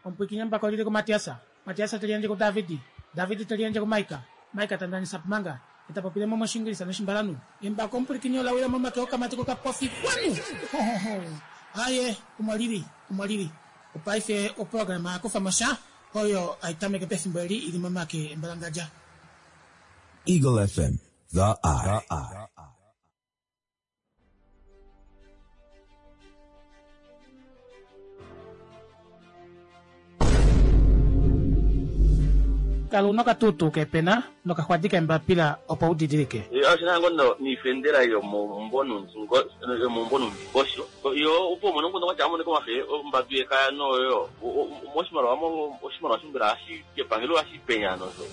Omupwiikini embako oli li kuMatias, Matias te li yandje kuDavid, David te li yandje kuMaika, Maika ta ndanisa Pumanga, ye ta popile mo mOshiingilisa nOshimbalanhu. Embako omupwilikini ola wila momake okamati kokapofi. Kwanu! Ho, ho, ho! Aye, omo li li, omo li li. Opaife oprograma ya Kufa mo Sha oyo hai tameke pefimbo eli i li momake embalangadja. Eagle FM, the eye. Kala una okatuutuu keepena nokaxwadi keembapila opo u didilike. Oshi na ngo niifendela yomomumvo nuundingosho yo opo umone omukundu gwatya amonike omafe ombambi yekaya noyo moshimaliwa oshimaliwa shombela hashi kepangelo hashi penya nosho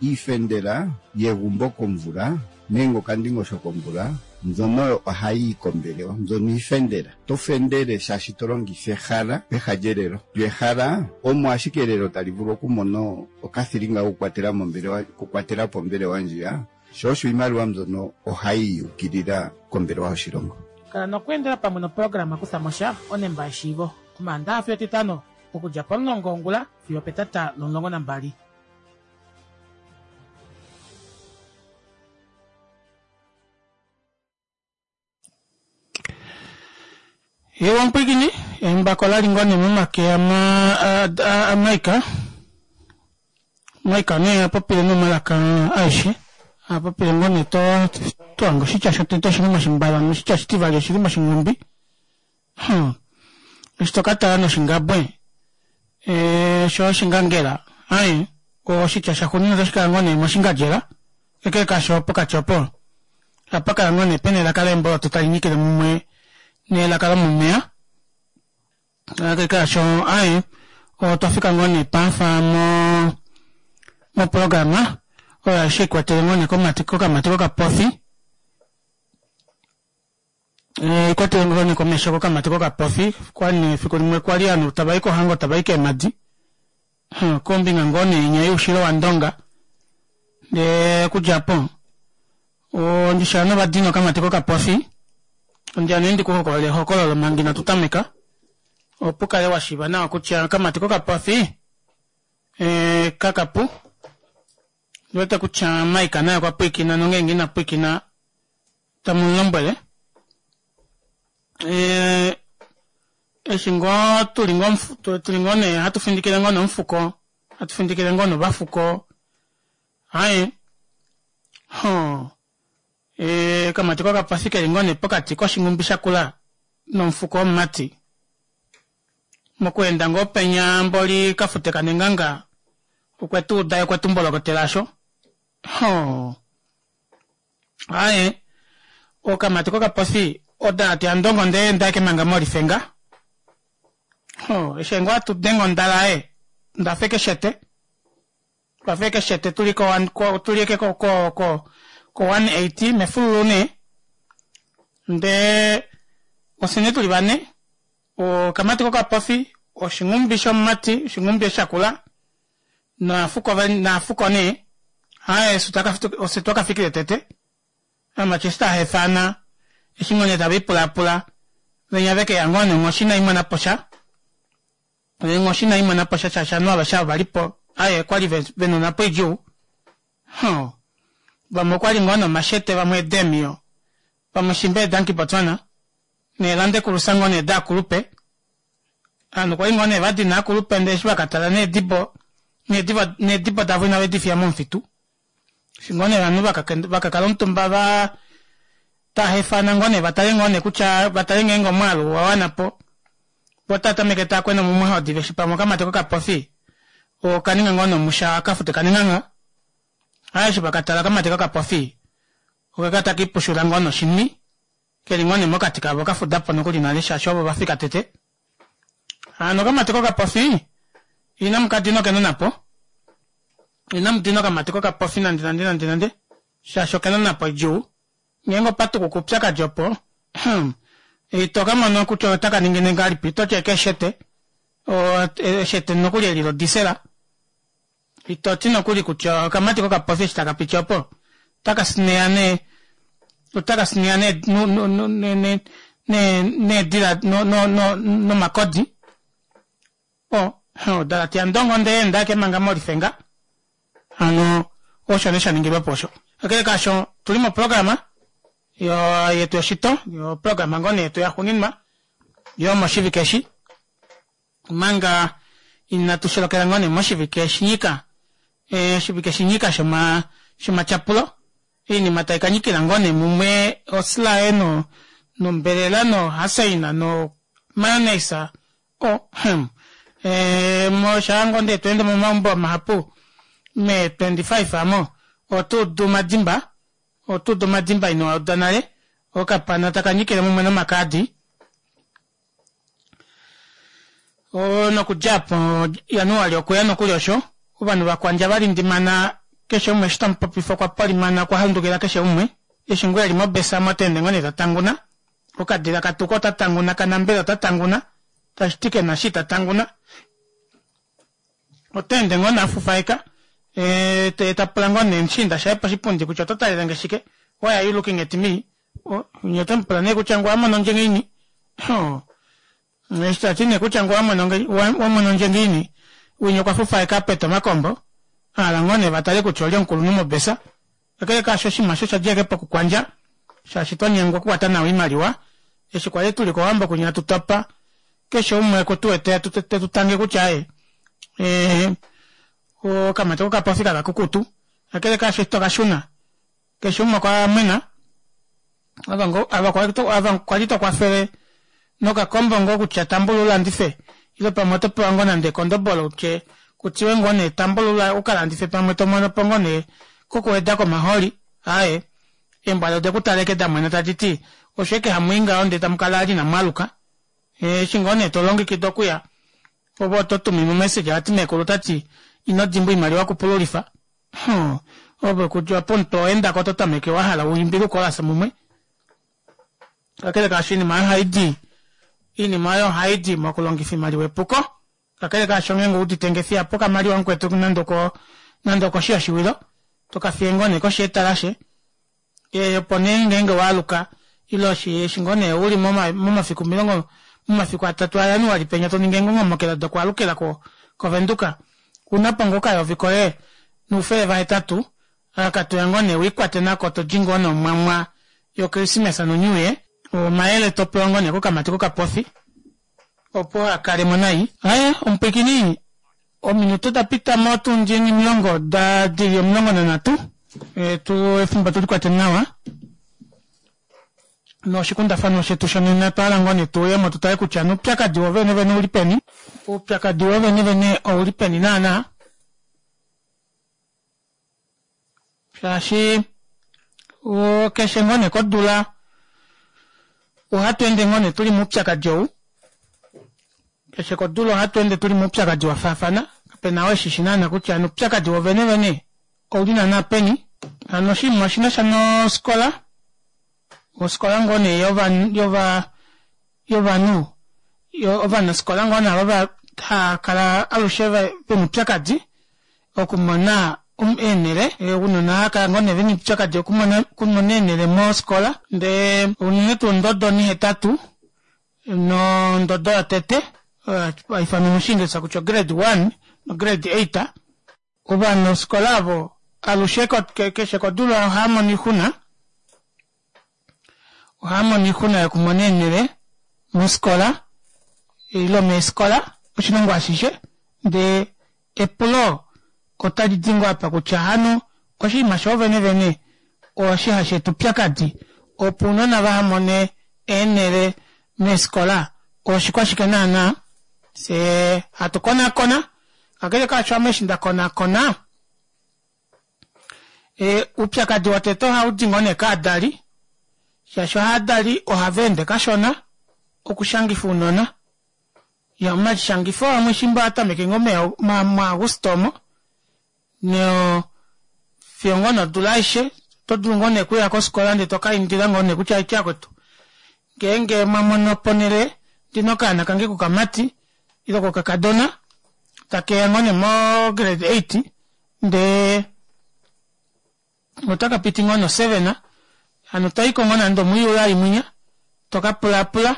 Iifendela yegumbo komvula nenge okandingosho komvula mbyono oyo ohayi yi kombelewa. Mbyono iifendela. To fendele shaashi to longitha ehala peha lyelelo. Lyo ehala omo ashike elelo tali vulu okumona okathilinga kokukwatela mombelewa, okukwatela po ombelewa ndjiya. Sho osho iimaliwa mbyono ohayi yi ukilila kombelewa yoshilongo. Kala nokweendela pamwe noprograma Kutha mo sha, onemba yeshiivo, Omaandaha fiyo Etitano, okudja pomulongo wongula fiyo opetata lomulongo nambali. Ewa omupwiikini, embako la li ngoo nee momake aMike. Mike nee a popile nomalaka aeshe, a popile ngoo nee to to hanga oshitya shotete oshili moshimbala noshitya oshitivali oshili moshinghumbi. Hmm. Eshi to ka tala noshingabwe eh, sho oshingangela aye oshitya shaxuuninwa otashi kala ngoo nee moshingadjela kakele kaasho pokati opo ohapa kala ngoo nee pena elaka leemboloto tali nyikile mumwe nelaka lomomeya kakele kaasho aye otwa fika ngoo nee paafa mo moprograma oyo aishe ikwatele ngoo nee komati kokamati kokapofi Eh, ikwatele ngoo nee komesho kokamati kokapofi kwali nee efiku limwe kwali ovanhu tava i kohango tava i keemadi Hmm, kombinga ngoo nee inya youshilo wandonga ndee okudja po ondisha novadina okamati kokapofi ondiya nee ndikuhokolole ehokololo manga inatu tameka opo kale wa shiiva nawa kutya okamati kokapofi eh, kakapu ndiwete kutya Mike naye okwa pwiikina nongeenge ina pwiikina tamu mu lombwele eh, eshi ngoo tuli ngoo tuli ngoo nee hatu findikile ngoo nomufuko hatu findikile ngoo novafuko aye ho eh, kamati kokapofi keli ngoo nee pokati koshinghumbi shakula nomufuko womumati mokweenda ngoo penya mboli kafute kanenganga okwe tu uda okwe tu mbolokotela sho ho Aye, okamati kokapofi oda ti andongo ndee ndaeke manga molifenga. Ho, eshi ngoo atu denge ondala e, ndafa ekeshete. Twafa ekeshete tuli ko ko tuli eke ko ko ko ko 180 mefululu nee. Ndee ofye nee tuli vane, okamati kokapofi, oshinghumbi shomumati, oshinghumbi eshi shakula naafuko naafuko nee haye ofye twakafikile tete amati eshi tahefana eshi ngoo nee tava ipulapula venya vekeya ngoo nee onghoshi inai mona po sha onghoshi inai mona po sha shaashi ovanhu aveshe ava vali po aye okwali vena onhapo idjuu huh vamwe okwali ngoo nomashete vamwe eedemiyo vamwe shimba eedanki Botswana neelandekulusa ngoo nee daakulupe Ovanhu okwa li ngoo nee va dina aakulupe ndele eshi va ka tala needibo, needibo, needibo davo inave di fiya momufitu. Eshi ngoo nee ovanhu va ka kala omutumba va ta hefana ngoo nee va tale ngoo nee kutya va tale ngeenge omwaalu owa wana po. Vo otava tameke tava kwena mumwe diva eshi pamwe okamati kokapofi oka ninga ngoo nee omusha ka fute kanenganga. Aa eshi va ka tala okamati kokapofi oka kala taka ipushula ngoo noshini Ke li ngoo nee mokati kavo ka fuda po nokuli nale shaashi ovo va fika tete. Hano okamati kokapofi inamu ka dina okena onhapo. Inamu dina okamati kokapofi nande nande nande nande shaashi okena onhapo idjuu. Ngeenge opa tukuka oupyakadi opo ito ka mona kutya otaka ningine ngahelipi, oto ti ekeshete, eshete nokuli eli lodisela. Ito ti nokuli kutya okamati kokapofi eshi taka piti opo otaka sineya nee otaka sineya nee Needila nomakodi. O, odalate yandongo ndee enda eke manga molifenga. Hano osho nee shaningilwa po osho. Kakele kaasho tuli moprograma yetu yoshito, oprograma ngoo nee yetu yaxuuninwa yomoshivike eshi. Omanga inatu sholokela ngoo nee moshivike shinyika, oshivike shinyika shoma shomatyapulo, oinima tai ka nyikila ngoo nee mumwe osilaye no nombelela no haseina no mayonnaise o hmm shaa ngoo ndee tweende momaumbo mahapu mee 25 amo otuudu omadimba otuudu omadimba ino uda nale okapana taka nyikile mumwe nomakaadi Nokudja apo Januali okweya nokuli osho, ovanhu vakwandja va lindimana keshe umwe eshi tamu popifa okwa polimana okwa handukila keshe umwe, eshi ngoo eli mobesa omo ta ende ngoo nee ta tanguna, okadila ka tuka ota tanguna ka nambela ota tanguna, tashi ti kena eshi ita tanguna. Ota ende ngoo nee a fufaeka, ye ta pula ngoo nee mushiinda shaye poshipundi kutya oto talelenge shike, why are you looking at me, Nye otamu pula nee kutya ngu a mono ndje ngiini? Eshi ta ti nee kutya ngu wa mono ndje ngiini, winya okwa fufaeka peta omakombo, a hala ngoo nee va tale kutya olye omukulunhu mobesa. Kakele kaasho oshinima osho osha dja ashike pokukwandja, shaashi twa nyengwa okukwata nawa oimaliwa. Eshi kwali tu li kOwambo kwinya hatu topa, keshe umwe oku tu wete te tu tange kutya aaye, okamati kokapofi kakakukutu. Kakele kaasho eshi twa ka shuna, Keshe umwe okwa mwena. Ava kwali to kwafele nokakombo ngoo kutya tambula ulandife ile pamwe oto pewa ngoo nande ekondobolo utye kutiwe ngoo nee tambula ukalandife pamwe to mono po ngoo nee kokuweda komahooli. Aaye, eembwa ode ku taleke da mwena tadi ti osho eke hamu i ngaho ndee tamu kala ali inamu aluka. Eshi ngoo nee to longekida okuya ove oto tuminwa omessage vati meekulu ota ti ino dimbwa oimaliwa okupululifa. Huh, ove kutya pomutwe owa endako oto tameke wa hala u imbile ukolasa mumwe. Kakele kaasho iinima oyo ohayi di iinima oyo ohayi di mokulongifa iimaliwa epuko. Kakele kaasho ngeenge udite nge fiya po okamaliwa mukwetu nande oko nande okoshi yoshiwilo to ka fiye ngoo nee koshi yetalashe. E, opo nee ngeenge wa aluka ile eshi ngoo nee uli momafiku omilongo momafiku atatu aJanuali penya to ningi eengongomokela dokualukila ko kOvenduka una po ngoo okayovi koye noufele vahetatu aka toya ngoo nee wiikwate nako to li ngoo nomwamwa yoKrismesa noNew Year. Omayele to pewa ngoo nee kokamati kokapofi opo a kale mo nai. Aye omupwikini Ominute oda pita motundi onhimulongo da dili 13. Tu efimbo tu likwate nawa noshikundafanwa shetu shonena otwa hala ngoo nee tu uye mo tu tale kutya oupyakadi wo vene vene ouli peni. Oupyakadi wo vene vene ouli peni naana. Shaashi keshe ngoo nee kodula ohatu ende ngoo nee tuli moupyakadi ou. Keshe kodula ohatu ende tuli moupyakadi wa faafana. Kape na oo eshi shi naana kutya oupyakadi wo vene vene ouli naana peni. Hano oshinima oshi na sha nofikola, ofikola ngoo nee yova yovanhu ovanafikola ngoo nee ava hava kala alushe vena oupyakadi okumona eenhele ounona ohava kala ngoo nee vena oupyakadi okumona eenhele mofikola ndee unene tuu ondodo onihetatu nondodo yotete oyo haifanwa moshiingilisa kutya ograde 1 nograde 8 ovanafikola avo alushe keshe kodula ohava mono oixuna Ohava mono oixuna yokumona eenhele mofikola ile meefikola oshilongo ashishe ndee epulo otali di ngoo apa kutya hano oshinima shoo vene vene oshi hashi eta oupyakadi opo ounona vaha mone eenhele meefikola oshikwashike naana? Fyee hatu konaakona kakele kaasho ame eshi nda konaakona E, uupyakadi wotete ohau di ngoo nee kaadali, shaashi ohaadali ohava ende kashona okushangifa ounona. Ya, omashangifo amwe shimba ohaa tameke ngoo muAguste omo, no fiyo ngoo nodula aishe oto dulu ngoo nee okuya kofikola ndee toka indila ngoo nee kutya aiti akwetu ngeenge mwa mono ponhele ndina okaana kange kokamati ile kokakadona takeya ngoo nee mo grade 8 ndee otaka piti ngoo no 7 hano toyiko ngoo nande omuJuly mwinya. To ka pulaapula,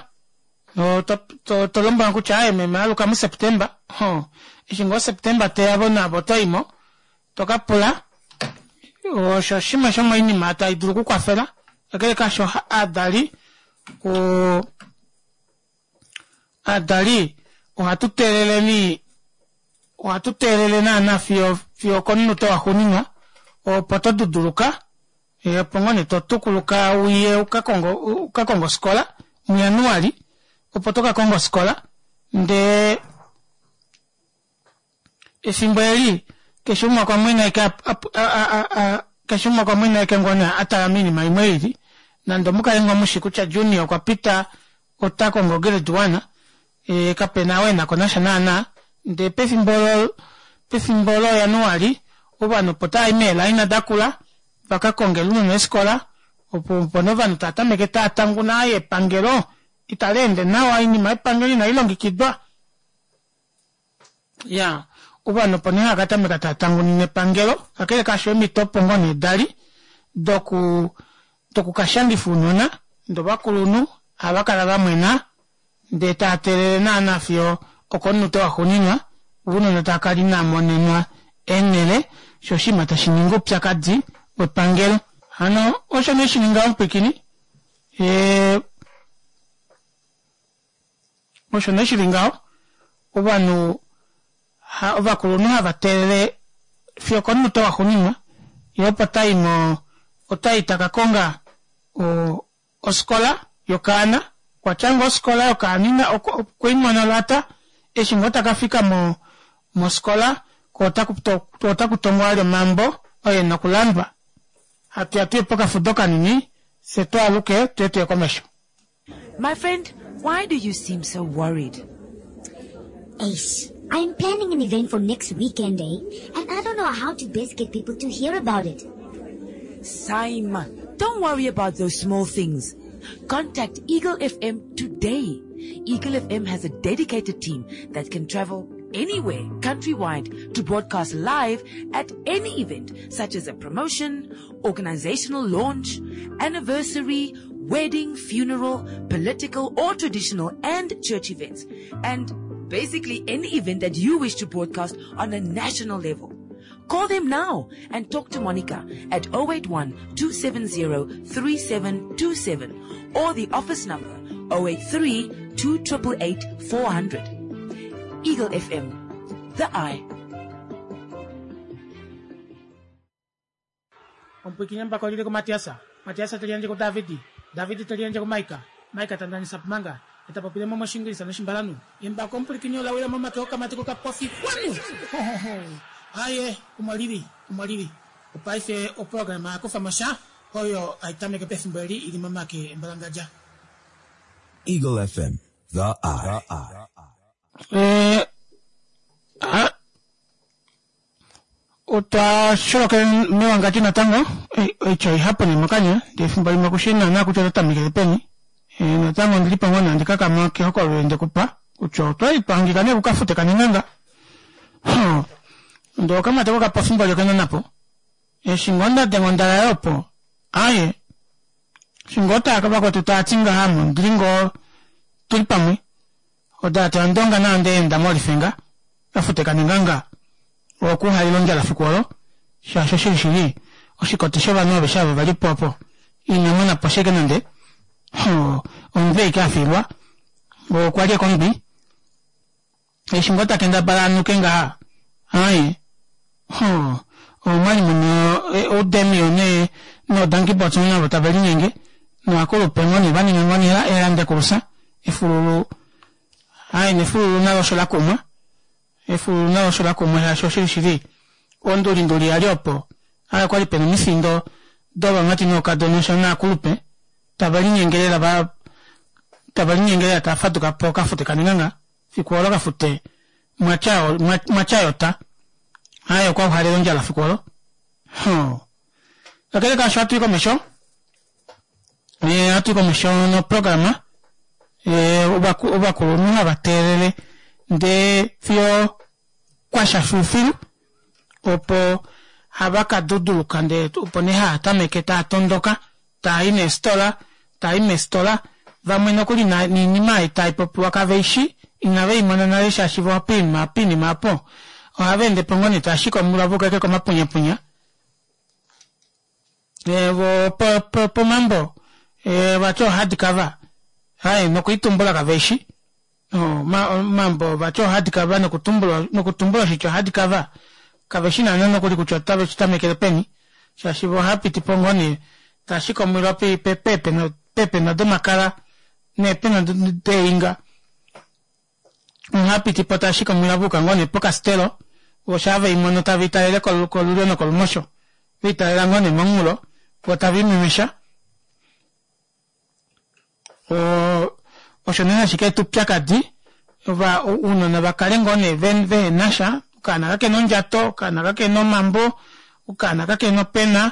to, to, to lombwela kutya aye meme aluka muSeptemba. Ho, eshi ngoo Septemba teya vo navo oto i mo, to ka pula. Osho shimwe shomoinima tai dulu okukwafela. Kakele kaasho, aadali, o, aadali ohatu teeleleni ohatu teelele naana fiyo fiyo okomunute waxuuninwa opo to duduluka eh, opo ngoo nee to tukuluka uye uka kongo uka konga ofikola muJanuali opo to ka konga ofikola ndee Efimbo eli, keshe umwe okwa mwena ashike a, keshe umwe okwa mwena ashike ngoo nee a tala moinima imwe i lili. Nande omu kale ngoo mu shi kutya Junior okwa pita ota kongo Grade One, ee, kape na oo e na ko nasha naana. Ndee pefimbo olo, pefimbo looJanuali, ovanhu opo tava i meelaina dakula va ka konge ounona eefikola, opo, opo nee ovanhu tava tameke tava tanguna, aaye epangelo itali ende nawa, oinima yepangelo inai longekidwa. Ya, ovanhu opo nee hava ka tameka tava tangunine epangelo, kakele kaasho eemhito opo ngoo nee da li doku doku ka shangifa ounona, ndee ovakulunhu ohava kala va mwena ndee tava teelele naana fiyo okomunute waxuuninwa ounona tava kala inava monenwa eenhele, sho oshinima tashi ningi oupyakadi wepangelo. Hano osho nee shi ninga omupwikini, ee. Osho nee shi li ngaho, ovanhu ha, ovakulunhu hava teelele fiyo okomunute waxuuninwa, ye opo ta i mo, ota i ta ka konga o, ofikola yokaana. Okwa tya ngoo ofikola yokaana ina, okwe i mona laata, eshi ngoo ta ka fika mo, mofikola, ko otaku, ko otaku tongwa vali omambo oo e na okulandwa. Hatu ya tu ye pokafudo kanini, fye tu aluke tu ye tu ye komesho. My friend, why do you seem so worried? Ace, I'm planning an event for next weekend, eh? And I don't know how to best get people to hear about it. Simon, don't worry about those small things. Contact Eagle FM today. Eagle FM has a dedicated team that can travel anywhere countrywide to broadcast live at any event such as a promotion, organizational launch, anniversary, wedding, funeral, political or traditional and church events. And basically any event that you wish to broadcast on a national level. Call them now and talk to Monica at 081 270 3727 or the office number 083 2888 400. Eagle FM, the eye. Omupwikinye mbako lili kuMatiasa, Matiasa te liyandje kuDavidi, Davidi te liyandje kuMaika, Maika ta ndanisa Pumanga, e ta popile mo mOshingilisa nOshimbalanhu. Embako omupwilikini ola wila momake okamati kokapofi kwanu! Hohoho! Aaye, omo li li, omo li li. Opaife oprograma ya kufa mo sha, oyo hai tameke pefimbo eli i li momake embalangadja. Eagle FM, the eye. Eh, ah, Otwa sholokele mewangandjo natango, oitya oihapu nee mokanya, ndee efimbo limwe kushi naana kutya oto tamekele peni. Natango ondili po ngoo nee handi kakama kehokololo eli ndekupa kutya otwali twa hangika nee kukafute kanenganga. Hoo, ndee okamati oko kapofi mboli okenana po. Eshi ngoo nda denga ondalaye opo, aaye, eshi ngoo taa vakwetu tava ti ngaha ame ondili ngoo tuli pamwe. Odalate yaNdonga nayo onde enda mOlifenga, kafute kanenganga okuhaila ondjala fiku olo, shaashi oshili shili oshikoti shovanhu aveshe ava vali po opo ina mona po sheke nande omunhu eike a fiilwa okwa li ekombi eshi ngoo ta kendabala a nuke ngaha aaye omwali muna oudemio ne noodankibots navo tave linyenge noakulupe ngoo nee va ninga ngoo nee eelandekulusa efululu Aye nefululu nalo osho la kumwa. Efululu nalo osho la kumwa shaashi oshili shili ondulinduli ya li opo. Aye okwa li pena omifindo dovamati nookadona osho naakulupe tave linyenge lela va tave linyenge lela tava faduka po kafute kanenganga fiku olo kafute mwatya mwatya yota. Aye okwa uhalela ondjala fiku olo. Hoo. Kakele kaasho ohatu i komesho. Eh, ohatu i komesho noprograma. Eh, ovakulunhu hava teelele ndee fiyo kwasha filufilu opo hava ka duduluka ndee opo nee haa tameke taa tondoka taa i neestola taa i meestola. Vamwe nokuli niinima ei tai popiwa kave i shi, inave i mona nale shaashi vo poinima poinima opo ohava ende po ngoo nee tava shiki omulwa va uka ashike komapunyapunya. Vo pomambo vati o-hard cover aaye nokuitumbula kave i shi. Omambo vati o-hard cover nokutumbula oshitya o-hard cover kave shi naana nokuli kutya otave shi tamekele peni shaashi vo ohava piti po ngoo nee tava shiki omwilwa peepena domakala neepena deeinga. Ohava piti po tava shiki omwilwa va yuka ngoo nee pokastelo vo shaa ve i mono tave i talele kolulyo nokolumosho ve i talela ngoo nee momunghulo vo tave i mimesha. Osho nee hashi ka eta oupyakadi ounona va kale ngoo nee vehena sha, okaana kakena ondjato, okaana kakena omambo, okaana kakena opena,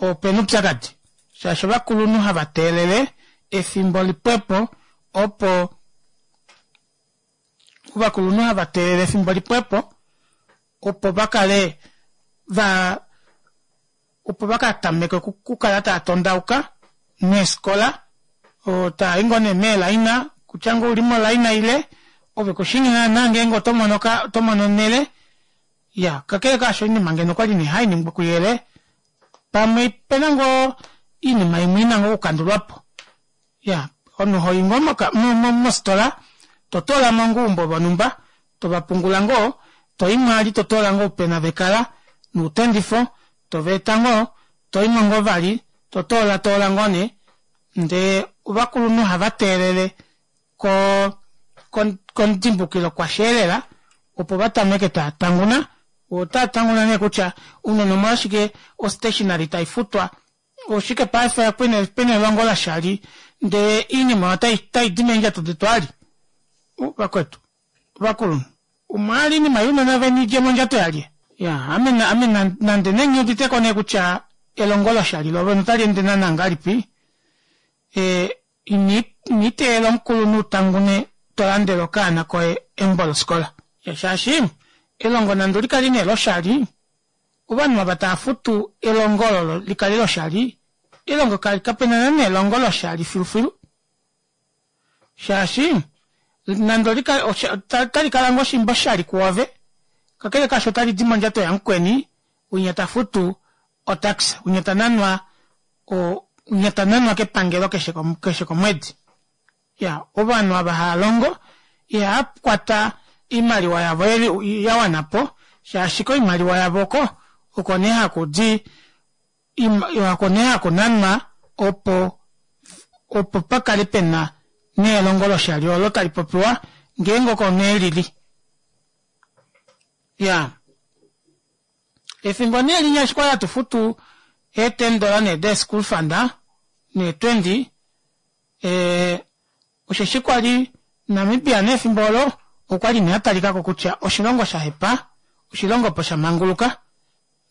opena oupyakadi shaashi ovakulunhu hava teelele efimbo lipwepo opo ovakulunhu hava teelele efimbo lipwepo opo va kale va opo va ka tameke okukala tava tondauka neefikola taa i ngoo nee meelaina kutya ngoo ouli molaina ile ove kushii naana ngeenge oto mono oto mono onhele Iyaa, kakele kaasho oinima ngeno okwali nee hai ningwa kuyele, pamwe opena ngoo iinima imwe ina ngoo okukandulwapo. Iyaa, omunhu hoyi ngoo moka mositola to toolamo ngoo oumbo vonhumba, tova pungula ngoo, toyi mwali to toola ngoo oupena vekala nuutendifo, tova eta ngoo, toyimo ngoo vali to toola toola ngoo nee, ndee ovakulunhu ohava teelele ko komudimbukilo kwasheelela opo va tameke tava tanguna. Otava tanguna nee kutya ounona omolwashike o stationary tai futwa, oshike paife pena elongo lashali ndee oinima otai di meendjato detu ali. Vakwetu ovakulunhu omwaali oinima younona veni idje mondjato yalye? Ya ame ame nande nee nghi uditeko nee kutya elongo loshali lovene otali ende naana ngahelipi, Ino teelela omukulunhu u tangune to landele okaana koye embo lofikola. Shaashi elongo nande oli kale nee loshali, ovanhu ava tava futu elongo olo li kale loshali, elongo kape na naana elongo loshali filufilu. Shaashi nande oli kale otali kala ngoo shimba oshali kwoove, kakele kaasho otali di mondjato yamukweni winya ta futu otax, winya ta nanwa winya ta nanwa kepangelo keshe keshe komwedi. Ya ovanhu ava hava longo ihava kwata oimaliwa yavo ya wana po shaashi koimaliwa yavo oko oko nee haku di oko nee haku nanwa opo opo pa kale pena nelongo loshali olo tali popiwa ngeenge oko nee lili. Ya Efimbo nee linya eshi kwali hatu futu ee ten dollar nee dee school fund nee 20 ee osheshi kwali Namibia nee efimbo olo okwali nee atalikako kutya oshilongo shahepa oshilongo opo shamanguluka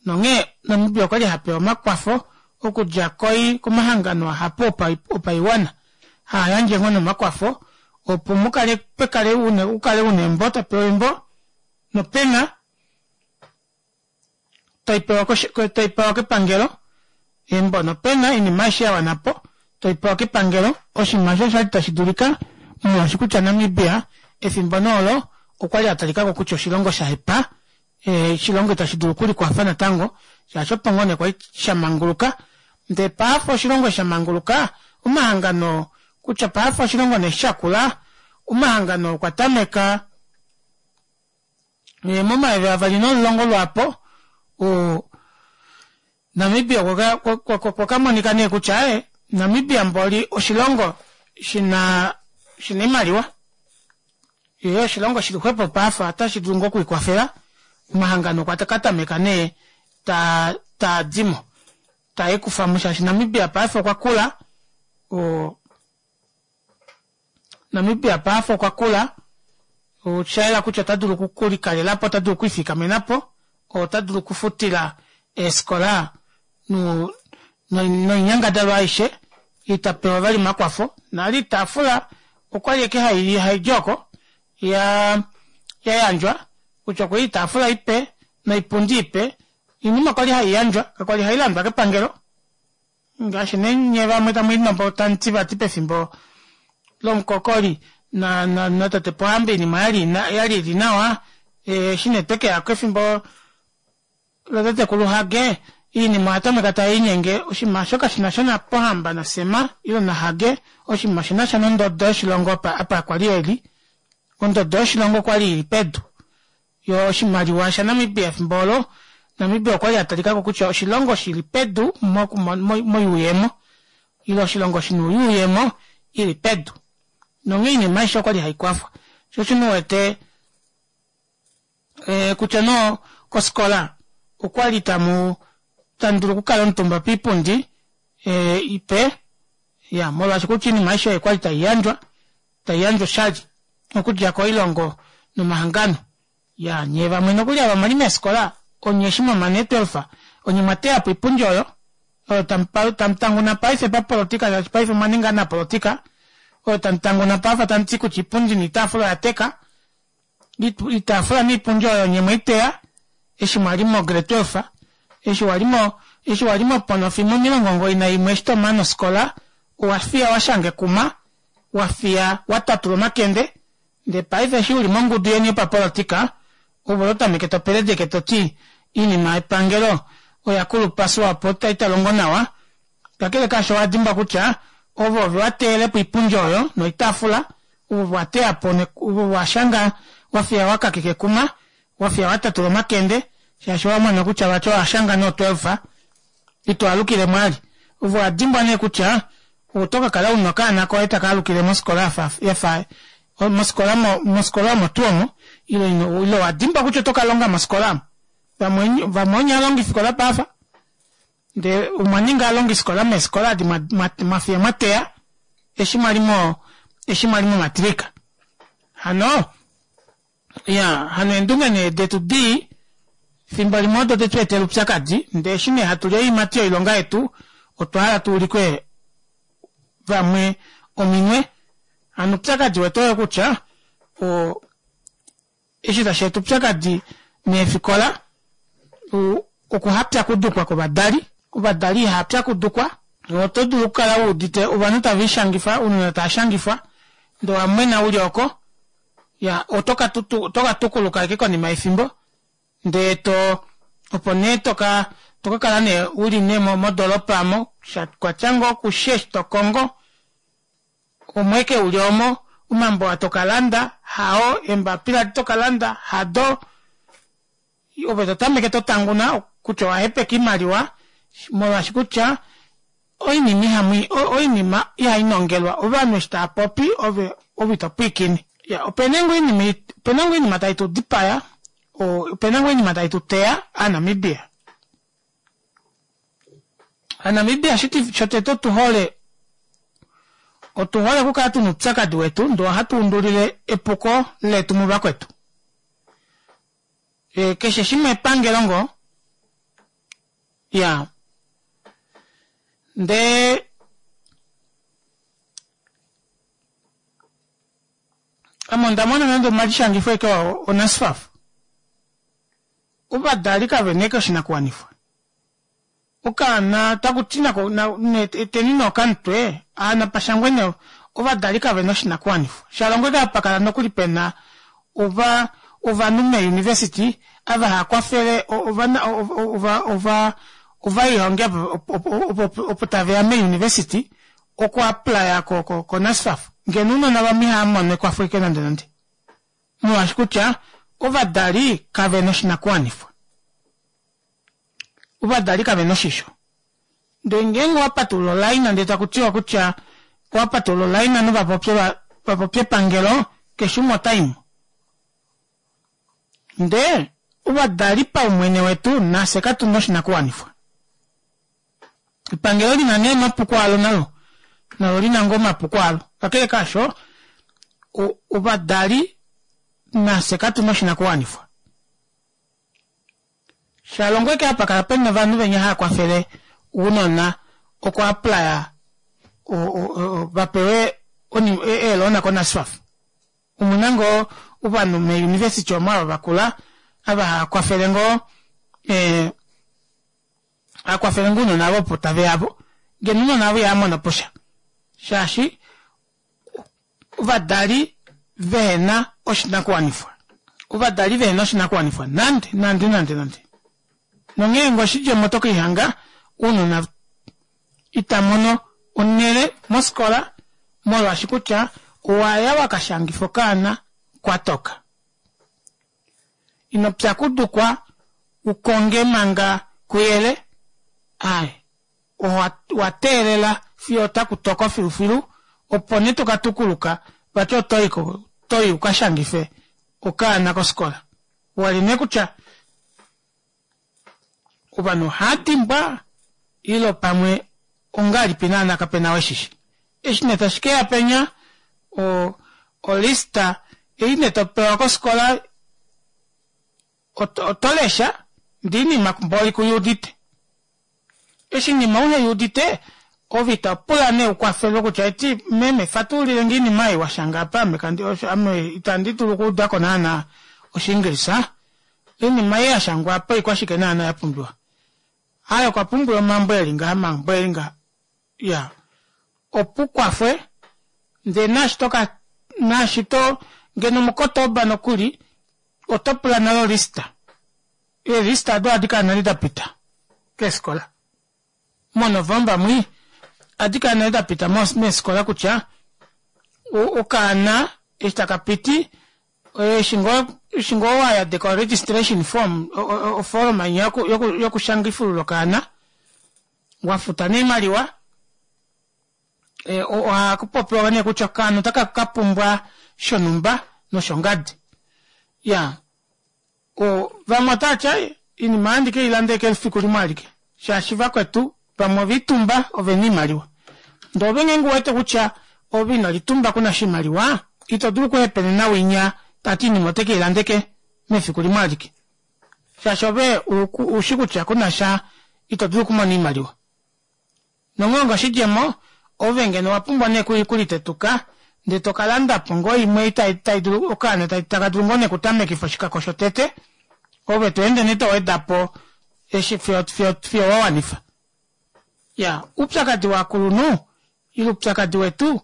nonghee Namibia okwali hapewa omakwafo okudja koi komahangano ahapu opaiwana haa yandje ngoo nomakwafo opo mukale pekale ukale una embo topewa embo nopena toi pewa kepangelo embo nopena oinima aishe ya wana po toi pewa kepangelo oshinima osho oshali tashi dulika molwaashi kutya Namibia efimbo nee olo okwali a talikako kutya oshilongo sha hepa oshilongo itashi dulu okulikwafa natango shaashi opo ngoo nee kwali sha manguluka ndee paife oshilongo sha manguluka omahangano kutya paife oshilongo nee shakula omahangano okwa tameka Momayovi 2010 lwaapo, Namibia okwa ka monika nee kutya Namibia mboli oshilongo shina shina oimaliwa yee oshilongo shili xwepo paife otashi dulu ngoo okwiikwafela. Omahangano okwa ka tameka nee taa taadimo tae kufamo shaashi Namibia paife okwa kula Namibia paife okwa kula, osha yela kutya ota dulu okulikalela po, ota dulu okwiifikamena po, ota dulu okufutila eefikola noinyangadalwa aishe, ita pewa vali omakwafo. Nale oitaafula okwali ashike haidi oko ya yandjwa kutya okwa li oitaafula ipe noipundi ipe, oinima kwali hai yandjwa, kakwali hai landwa kepangelo. Ngaashi nee nye vamwe tamu linombo tamu ti vati pefimbo lomukokoli na, na, natate Pohamba oinima oyali yali ili nawa eshi nee twekeya kefimbo latatekulu Hage oinima oya tameka tai linyenge oshinima osho kashina sha naPohamba naSem ile naHage oshinima oshina sha nondodo yoshilongo apa kwali eli ondodo yoshilongo okwali ili pedu yo oshimaliwa shaNamibia efimbo olo Namibia okwali a talikako kutya oshilongo shili pedu moyuuyemo ile oshilongo shina oyuuyemo ili pedu nonghee oinima aishe okwali haikwafwa sho osho nee uwete eh, kutya no kosikola okwali tamu tamu dulu okukala omutumba piipundi eh, ipe ya molwaashi kutya oinima aishe oyo kwali taiyandjwa taiyandjwa oshali okudja koilongo nomahangano ya nyee vamwe nokuli ava mwali meefikola onye eshi mwamana eetwelfa onye mwa teya po oipundi oyo oyo tamu tanguna paife papolitika shaashi paife omwa ninga anapolitika oyo tamu tanguna pafa tamu ti kutya iipundi noitaafula oya teka oitaafula noipundi oyo onye mweiteya eshi mwali mo grade 12 eshi wali mo eshi wali moponofi momilongo omugoyi naimwe eshi tomane ofikola owa fiya wa shanga ekuma wa fiya wa tatula omakende Ndee paife eshi uli mongudu yeni yopapolitika, ove oto tameke to peledeke to ti iinima yepangelo oya kulupa Swapo ita longo nawa. Kakele kaasho owa dimbwa kutya ove ove wa teyele po iipundi oyo noitaafula, ove ove wa teya po ove ove wa shanga wa fiya wa kakeka ekuma, wa fiya wa tatula omakende shaashi owa mona kutya vati owa shanga noo 12 ito alukile mo ali. Ove owa dimbwa nee kutya oto ka kala una okaana koye taka alukile mosikola yafa mosikola mosikola omo tuu omo ile ile owa dimbwa kutya oto ka longa mosikola omo. Vamwe vamwe onye alongifikola paafa ndee omwa ninga alongifikola meefikola adi mwa fiya mwa teya eshi mwali mo eshi mwali momatrika. Hano Ya, hano eendunge nee detu dii, fimbo limwe odo de tu etela oupyakadi, ndee eshi nee hatu li oiimati yoilonga yetu, otwa hala tu ulike vamwe ominwe. Hano oupyakadi wetu oyo kutya, o, eshi tashi eta oupyakadi meefikola, o, okuhapyakudukwa kovadali. Ovadali ihava pyakudukwa. Oto dulu okukala u udite ovanhu tave lishangifa, ounona tava shangifwa, ndee owa mwena u li oko, Ya, oto ka, oto ka tukuluka ashike konima yefimbo, ndee to, opo nee to ka, to ka kala nee u li nee modoolopa omo, sha kwatya ngoo kushe eshi to kongo, omo ashike u li omo, omambo aa to ka landa, hao, eembapila edi to ka landa, hado, ove to tameke to tanguna kutya owa hepeka oimaliwa, molwaashi kutya oinima ihamu oinima ihai nongelwa ovanhu eshi tava popi ove ove ito pwiikine. Ya opena ngoo oinima opena ngoo oinima tai tu dipaya opena ngoo oinima tai tu teya aaNamibia. AaNamibia shiti shotete otu hole otu hole okukala tuna oupyakadi wetu ndee ohatu undulile epuko letu muvakwetu. Keshe shimwe epangelo ngoo ya ndee ame onda mona nande omalishangifo eke oNASFAF ovadali kave na eke oshinakuwanifwa okaana taku ti nako eteni nee okamutwe aana pashangwe nee ovadali kave na oshinakuwanifwa shalongo eke apa kala nokuli pena ova ovanhu meeuniversity ava hava kwafele ovana ova ova ovaihongi opo opo taveya meeuniversity oku applya ko ko ko NASFAF ngeno ounona vamwe ihava mono ekwafo eke nande nande molwaashi kutya ovadali kave na oshinakuwanifwa ovadali kave na oshisho ndee ngeenge owa patulula olaina ndee taku tiwa kutya owa patulula olaina novapopye vapopye epangelo keshe umwe ota imo ndee ovadali paumwene wetu nafye katuna oshinakuwanifwa epangelo lina nee omapuko alo nalo nalo lina ngoo omapuko alo kakele kaasho ovadali nafye katuna oshinakuwanifwa Shalongo eke apa kala pena ovanhu venya hava kwafele ounona oku applya va pewe eeloona koNASFAF. Omuna ngoo ovanhu meeuniversity omo ava vakula ava hava kwafele ngoo hava kwafele ngoo ounona avo opo tave yavo. Ngeno ounona avo ihava mono po sha. Shaashi ovadali vehena oshinakuwanifwa. Ovadali vehena oshinakuwanifwa nande nande nande nande. Nonghee ngee oshidjemo oto kelihanga ounona ita mono onhele mofikola molwaashi kutya owaya wakashangifa okaana kwatoka. Ino pyakudukwa ukonge manga kuyele, aaye owa teelela fiyo otaku toko filufilu opo nee toka tukuluka vati otoyi ukashangife okaana kofikola. Wali nee kutya ovanhu ohava dimbwa ile pamwe ongahelipi naana kapena ou eshishi. Eshi nee tashi keya penya olista ei nee topewa kofikola oto lesha ndee oinima mboli kuyuudite. Eshi oinima uheyuudite ove itopula nee ukwafelwe kutya eti meme fatululilenge oinima ei washanga apa ame kandi ame itandi dulu okuudako naana oshiingilisa oinima ei yashangwa apa oikwashike naana yapumbiwa. Aaye okwa pumbiwa omambo eli ngaha omambo eli ngaha iyaa opo ukwafwe ndee naashi toka naashi to ngeno muKotoba nokuli oto pula nale olista. Eelista odo ohadi kala nale dapita keefikola. MoNovomba mwi ohadi kala nale dapita meefikola kutya okaana eshi taka piti eshi ngoo wayadeka o registration form oforoma inya yokushangifulula okaana wafuta nee oimaliwa ohakupopiwa nee kutya okaana otaka kapumbwa shonumba noshongadi. Iyaa vamwe otavati aaye oinima ohandi keilanda ashike efiku limwe alike shaashi vakwetu vamwe ovelitumba ovena oimaliwa ndee ove ngeenge uwete kutya ove ino litumba kuna oshimaliwa ito dulu okuhepenena winya tati oinima ote keilanda ashike mefiku limwe alike shaashi ove ushi kutya kunasha ito dulu okumona oimaliwa. Nonghee onga oshidjemo, ove ngeno owa pumbwa nee okulitetuka ndee to ka landa po ngoo imwe ei tai dulu okaana taka dulu ngoo nee okutamekifa oshikako shotete, ove to ende nee to weda po eshi fiyo fiyo fiyo wa wanifa. Ya, oupyakadi wovakulunhu ile oupyakadi wetu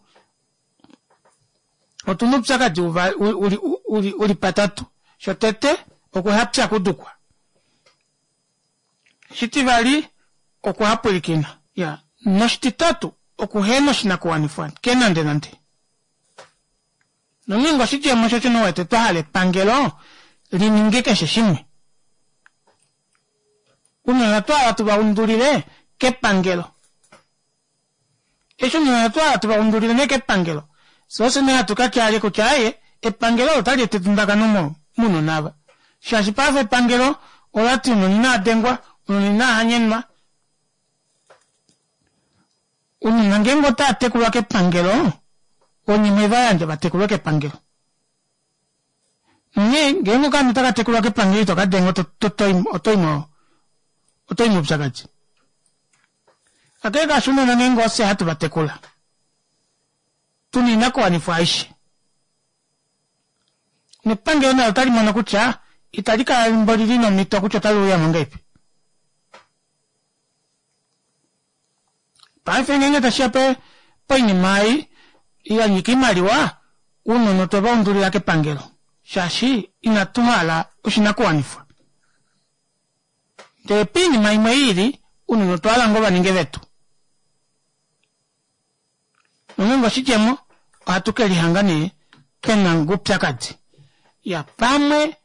otuna oupyakadi uli uli uli patatu. Shotete okuhapyakudukwa. Shitivali, okuhapwilikina. Ya. Noshititatu, okuhena oshinakuwanifwa ke nande nande. Nonghee ngoo oshidjemo osho shino wete twa hala epangelo li ninge keshe shimwe. Ounona otwa hala tu va undulile kepangelo. Eshi ounona otwa hala tu va undulile nee kepangelo, fye ofye nee hatu ka tya ale kutya aaye, epangelo olo otali eta edundakano mounona ava. Shaashi paife epangelo ola ti ounona inava dengwa, ounona inava hanyenwa. Ounona ngeenge otava tekulwa kepangelo, onye mwe va yandja va tekulwe kepangelo. Onghee ngeenge okaana otaka tekulwa kepangelo ito ka denga oto i moupyakadi. Kakele kaasho ounona ngeenge ofye hatu va tekula, tu na oinakuwanifwa aishe. Nepangelo nalo otali mono kutya itali kala mboli li na omhito kutya otali uya mo ngahelipi. Paife ngeenge tashi ya poinima ei ya nyika oimaliwa, ounona otwe va undulila kepangelo shaashi inatu hala oshinakuwanifwa. Ndele poinima imwe i ili, ounona otwa hala ngoo va ninge vetu. Nongeenge oshidjemo, ohatu ke lihanga nee pe na oupyakadi. Ya, pamwe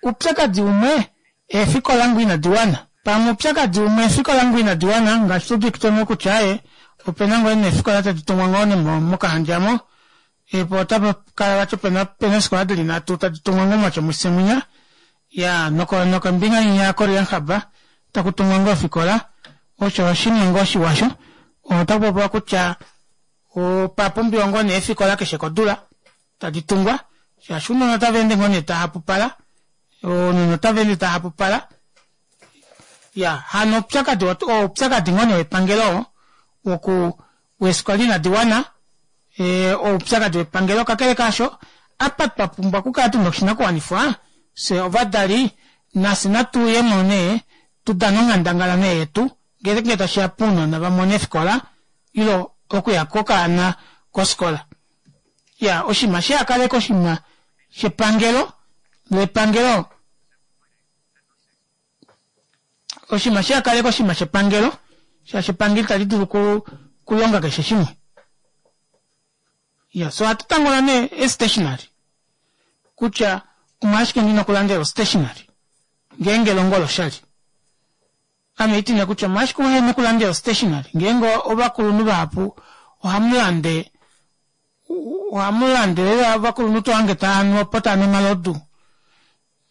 oupyakadi umwe eefikola ngoo inadi wana. Pamwe oupyakadi umwe eefikola ngoo inadi wana, ngaashi tu udite ngoo kutya aaye, ope na ngoo nee eefikola tadi tungwa ngoo nee mOkahandja mo, po otapa kala vati pena eefikola dili nhatu tadi tungwa ngoo mOtjomuise mwinya, ya nokombinga inya yaKoreanhab taku tungwa ngoo ofikola, osho oshinima ngoo shiwa sho. Otaku popiwa kutya opa pumbiwa ngoo nee eefikola keshe kodula tadi tungwa shaashi ounona otava ende ngoo nee tava hapupala, ounona otava ende tava hapupala. Ya hano oupyakadi oupyakadi ngoo nee wepangelo oo woku weefikola inadi wana, oupyakadi wepangelo. Kakele kaasho, apa twa pumbwa okukala tuna oshinakuwanifwa fye ovadali nafye natu uyemo nee tudane onghandangala nee yetu ngeenge tashiya pounona vamone eefikola. ilo okuya kwokaana kofikola. Ya oshinima shihakaleke oshinima shepangelo lepangelo oshinima shihakaleke oshinima shepangelo shaashi epangelo itali dulu okulonga keshe shimwe. Ya so ohatu tangola nee e-stationary kutya omolwashike ndina okulandela o-stationary ngeenge elongo oloshali. Ame itine kutya omolwashike uhena okulandela o-stationary ngeenge ovakulunhu vahapu ohamu lande ohamu lande lela ovakulunhu tohange taanu opo taanu omalodu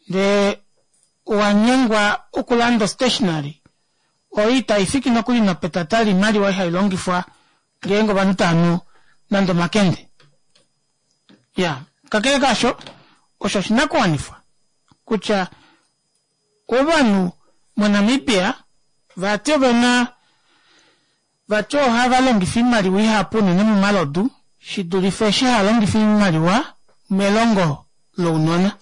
ndee owanyengwa okulanda o-stationary oyo itaifiki nokuli nopetata loimaliwa ei hailongifwa ngeenge ovanhu taanu nande omakende. Ya kakele kaasho osho oshinakuwanifwa kutya Ovanhu moNamibia vati ovena vati ohava longifa oimaliwa ihapu unene momalodu shidulife eshi hava longifa oimaliwa melongo lounona.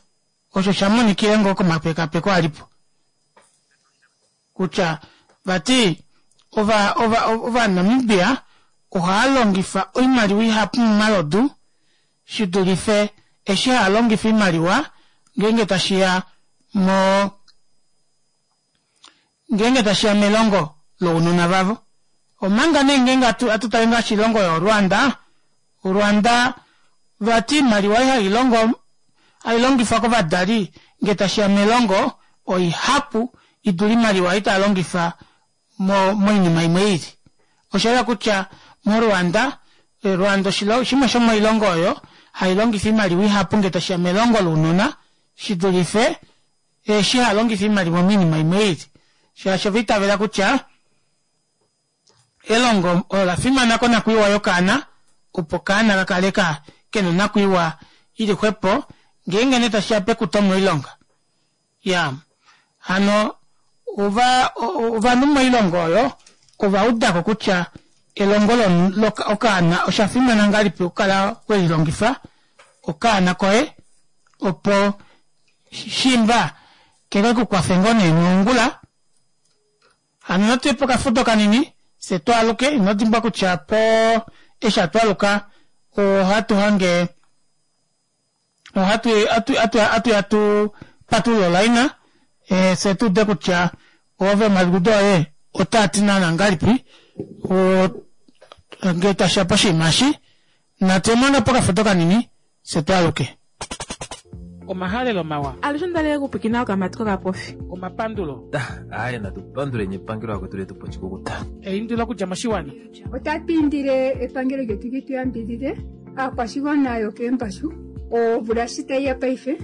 Osho sha monikile ngoo komapekapeko alipo kutya vati ova ova Ovanamibia ohava longifa oimaliwa ihapu momalodu shidulife eshi haa longifa oimaliwa ngeenge tashiya mo ngeenge tashiya melongo lounona vavo. Omanga nee ngeenge atu tale ngaashi oilongo yoRwanda, Rwanda vati oimaliwa ei hai longo hai longifwa kovadali ngee tashiya melongo oihapu idule oimaliwa ei taa longifa mo moinima imwe i lili. Osha yela kutya moRwanda, Rwanda oshimwe shomoilongo oyo hai longifa oimaliwa ihapu ngee tashi ya melongo lounona shi dulife eshi ha longifa oimaliwa moinima imwe i lili, shaashi ova itavela kutya elongo olo la fimana konakwiiwa yokaana opo okaana ka kale ka kena onakwiiwa ili xwepo ngeenge nee tashi ya pekuto moilonga. Ya hano ova ovanhu moilongo oyo ova udako kutya elongo lo okaana osha fimana ngahelipi okukala welilongifa okaana koye opo shimba keke kukwafe ngoo nee mongula. Hano natu ye pokafudo kanini fye twaaluke. Ino dimbwa kutya po eshi hatu aluka ohatu hange ohatu atu ya tu patulule olaina eh, fye tu ude kutya ove omaliudo oye otaa ti naana ngahelipi ngee tashiya poshinima eshi. Natu ye manga pokafudo kanini fye twaaluke. Omahalelo mawa. Alushe onda li okupwiikina okamati kokapofi. Omapandulo. Aaye natu panduleni epangelo akwetu letu po oshikukuta. Eindilo okudja moshiwana. Otatu indile epangelo lyetu li tu yambidhidhe aakwashigwana yokeembashu. Omvula shi tayi ya paife,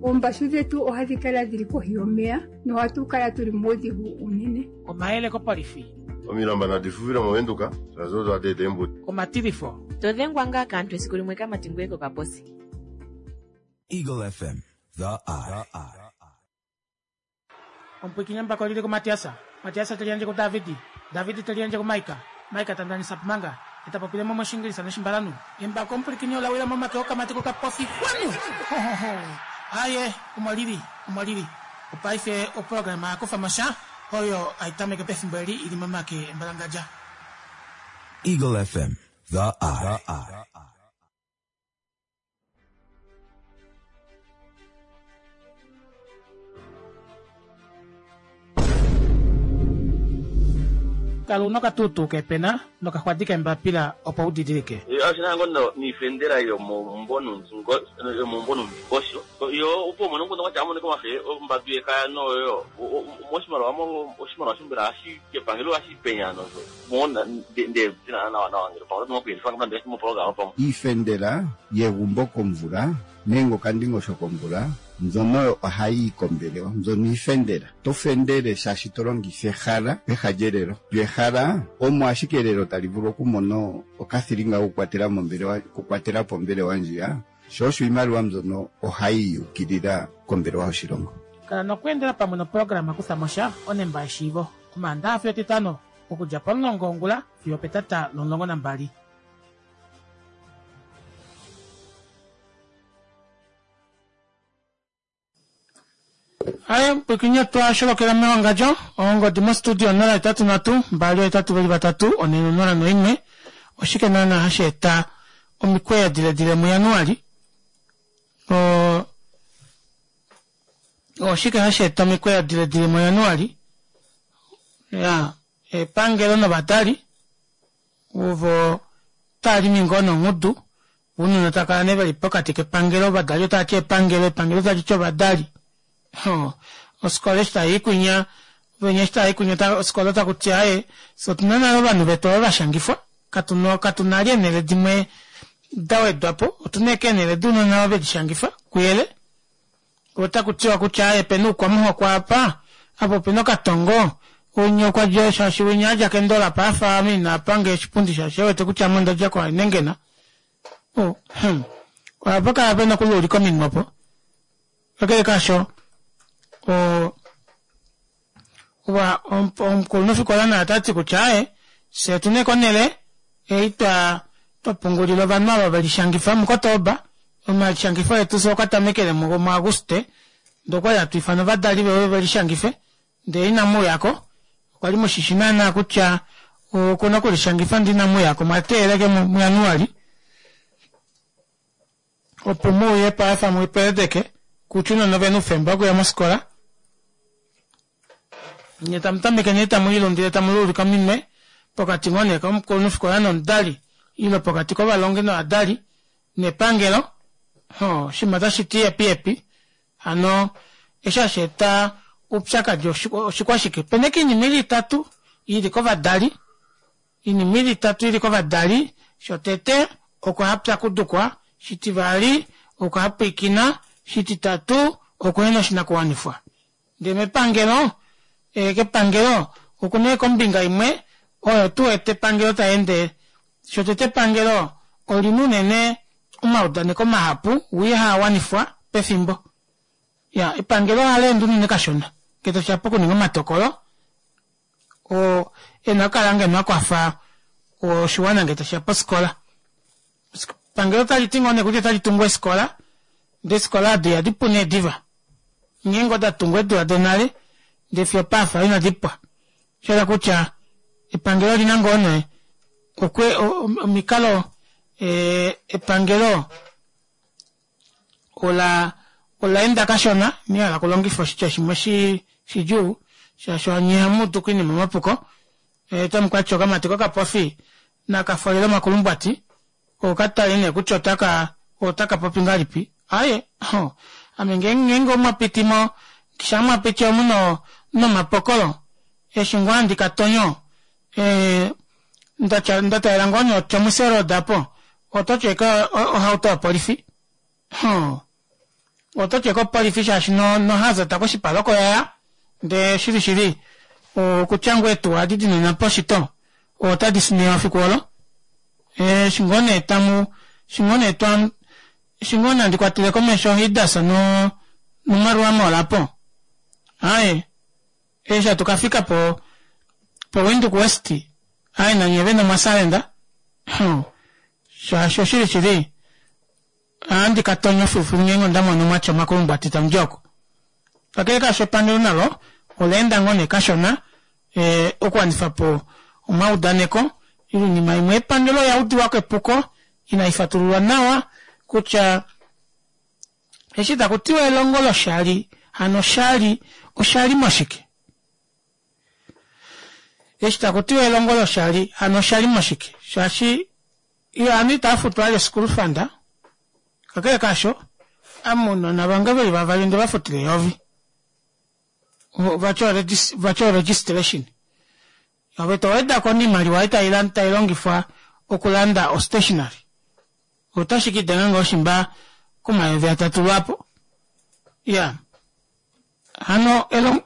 oombashu dhetu ohadhi kala dhili kohi yomeya nohatu kala tuli muudhigu uunene. Omayele kopolifi. Omilamba nadi fufile mOvenduka, shaashi odo hadi eta eembudi. Omatilifo. To dhengwa ngaa kaantu esiku limwe kamati ngoye kokaposi. Eagle FM, the eye. Omupwiikini embako oli li kuMatias, Matias te liyandje kuDavid, David te liyandje kuMaika, Maika ta ndanisa pomanga, ye ta popile mo mOshiingilisa nOshimbalanhu. Embako omupwilikini ola wila momake okamati kokapofi. Xwanu! Ho, ho, ho! Aaye, omo li li, omo li li. Opaife oprograma ya kufa mo sha, oyo hai tameke pefimbo eli i li momake embalangadja. Eagle FM, the eye. Kala una okatuutuu keepena nokaxwadi keembapila opo u didilike. Oshina ngo niifendela yomomumvo nuundingosho yo opo umone omukundu gwatya amonike omafe ombadu yekaya noyo moshimaliwa oshimaliwa shombela hashi kepangelo hashi penya nosho Iifendela yegumbo komvula nenge okandingosho komvula mbyono oyo ohayi yi kombelewa. Mbyono iifendela. To fendele shaashi to longitha ehala peha lyelelo. Lyo ehala omo ashike elelo tali vulu okumona okathilinga kokukwatela mombelewa, okukwatela po ombelewa ndjiya. Sho osho iimaliwa mbyono ohayi ukilila kombelewa yoshilongo. Kala nokweendela pamwe noprograma Kutha mo sha, onemba yeshiivo. Omaandaha fiyo Etitano, okudja pomulongo wongula fiyo opetata lomulongo nambali. Aye pwikinye twa sholokela mewangadjo ongodi mostudio 083 2 8 2 3 4 01. Oshike naana hashi eta omikweyo diledile muJanuali? Oshike hashi eta omikweyo diledile muJanuali? Ya, epangelo novadali ovo tava limi ngoo nongudu, ounona tava kala nee veli pokati kepangelo, ovadali otava ti epangelo, epangelo tali ti ovadali. Ofikola eshi tai i kwinya, venya eshi tava i kwinya ofikola otaku ti aaye fye otuna nale ovanhu vetu ava vashangifwa, katu na li eenhele dimwe da wedwa po, otuna ashike eenhele dounona ava velishangifa kuyele. Otaku tiwa kutya aaye opena oukwamuhoko apa, apa opena okatongo, winya okwa dja shaashi winya a dja kEndola apa afa ame ina pange oshipundi shaashi e wete kutya ame onda dja koHainengena. Oh, ohapa kala pena okuluulika ominwe opo. Kakele kaasho, omukulunhufikola naye ota ti kutya aaye, fye otu na konhele ei twa pungulila ovanhu ava ve lishangifa muKotoba. Omalishangifo etu fye okwa tamekele muAguste, ndee okwali hatu ifana ovadali veuye ve lishangife, ndee inamu uyako. Okwa li mushishi naana kutya okuna okulishangifa ndee inamu uyako, mwa teelela ashike muJanuali. Opo mu uye paife mu peredeke kutya ounona ovena oufemba wokuya mofikola. Nye tamu tameke nee tamu lilundile tamu luulika ominwe pokati ngoo nee komukulunhufikola nomudali ile pokati kovalongi novadali nepangelo. Hoo, oshinima otashi ti yepi yepi. Hano eshi hashi eta oupyakadi oshikwashike? Opena ashike oinima ili itatu ili kovadali. Oinima ili itatu ili kovadali, shotete okuhapyakudukwa, shitivali okuhapwiikina, shititatu okuhena oshinakuwanifwa. Ndee mepangelo, kepangelo okuna ashike ombinga imwe oyo tu wete epangelo tali ende. Shotete epangelo olina unene omaudaneko mahapu wii haa wanifwa pefimbo. Ya, epangelo ohali ende unene kashona ngee tashiya pokuninga omatokolo oo e na okukala ngeno a kwafa oshiwana ngee tashiya pofikola. Epangelo otali ti ngoo nee kutya otali tungu eefikola, ndee eefikola odo ihadi pu nee diva. Ngeenge oda tungwa eedula donale ndee fiyo opaafa inadi pwa. Osha hala kutya epangelo olina ngoo nee okwe omikalo epangelo ola ola enda kashona ina hala okulongifa oshitya shimwe shi shidjuu shaashi onye ihamu udu koinima omapuko otamu ka tya okamati kokapofi naka folele omakulumbwati okatale nee kutya otaka otaka popi ngahelipi aaye ame ngeenge omwa piti mo sha mwa piti omu no nomapokolo eshi ngoo handi ka tonyo ndatya nda talela ngoo nee oTjomuise Road apo oto ti ashike ohauto yopolifi oto ti ashike opolifi shaashi nohazard koshipala oko yaya ndee shili shili okutya ngoo eetuwa adi dinena poshito otadi sinewa fiku olo eshi ngoo nee tamu eshi ngoo nee twa eshi ngoo nee handi kwatele komesho Hidas no noMarua Mall apo aaye Eshi hatu ka fika po poWindhoek West, aye nanye vene omwa salenda. Hum. Shaashi oshili shili, ohandi ka tonya filufilu ngeenge onda mono mwa tya omakulumbwati tamu di oko. Kakele kaasho epangelo nalo ola enda ngoo nee kashona eh, okuwanifa po omaudaneko ile oinima imwe. Epangelo oya udiwa ko epuko inai fatululwa nawa kutya Eshi taku tiwa elongo loshali, hano oshali osha li moshike? Eshi taku tiwa elongo loshali, hano osha li moshike? Shaashi ovanhu itava futwa vali school fund, kakele kaasho, ame ounona vange veli vavali onde va futila eyovi. Vati o registration. Ove to weda ko oimaliwa ei tai longifwa okulanda o stationery. Otashi ka idenga ngoo shimba komayovi atatu lwaapo. Iya. Hano elong...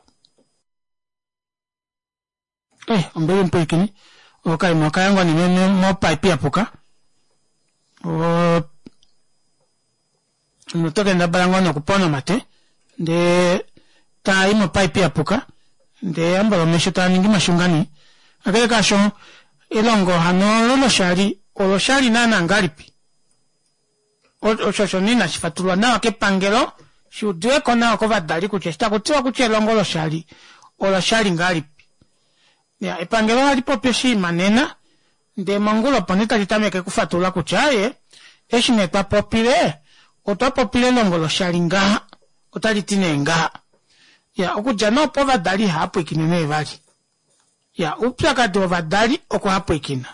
Eh, ombili mupwilikini. Okaima okaya ngoo nee mopaipi ya puka. Oto kendabala ngoo nee okupona omate ndee taa i mopaipi ya puka ndee ambala omesho taa ningi mashungani. Kakele kaasho, elongo hano olo loshali oloshali naana ngahelipi? Osho osho nee inashi fatululwa nawa kepangelo shi udiwe ko nawa kovadali kutya eshi taku tiwa kutya elongo loshali oloshali ngahelipi. Ya, epangelo ohali popi oshinima nena. Ndee mongula opo nee tali tameke okufatulula kutya aaye, eshi nee twa popile, otwa popile elongo loshali ngaha, otali ti nee ngaha. Ya, okudja nee opo ovadali ihava pwiikine nee vali. Ya, oupyakadi wovadali okuhapwiikina.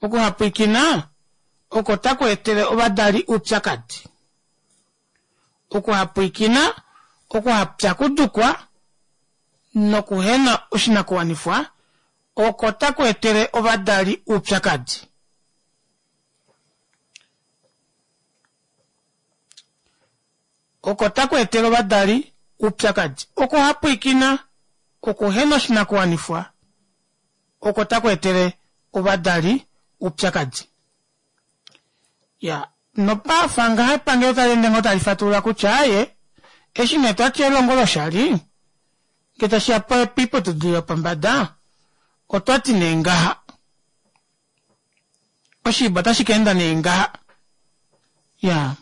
Okuhapwiikina oko taku etele ovadali oupyakadi. Okuhapwiikina, okuhapyakudukwa nokuhena oshinakuwanifwa oko taku etele ovadali oupyakadi. Oko taku etele ovadali oupyakadi. Okuhapwiikina, okuhena oshinakuwanifwa oko taku etele ovadali oupyakadi. Ya, nopafa ngaha epangelo tali ende ngoo tali fatulula kutya aaye, eshi nee twati elongo loshali, ngee tashi ya poiputudilo yopombada, otwati nee ngaha. Oshiiba otashi ka enda nee ngaha. Ya.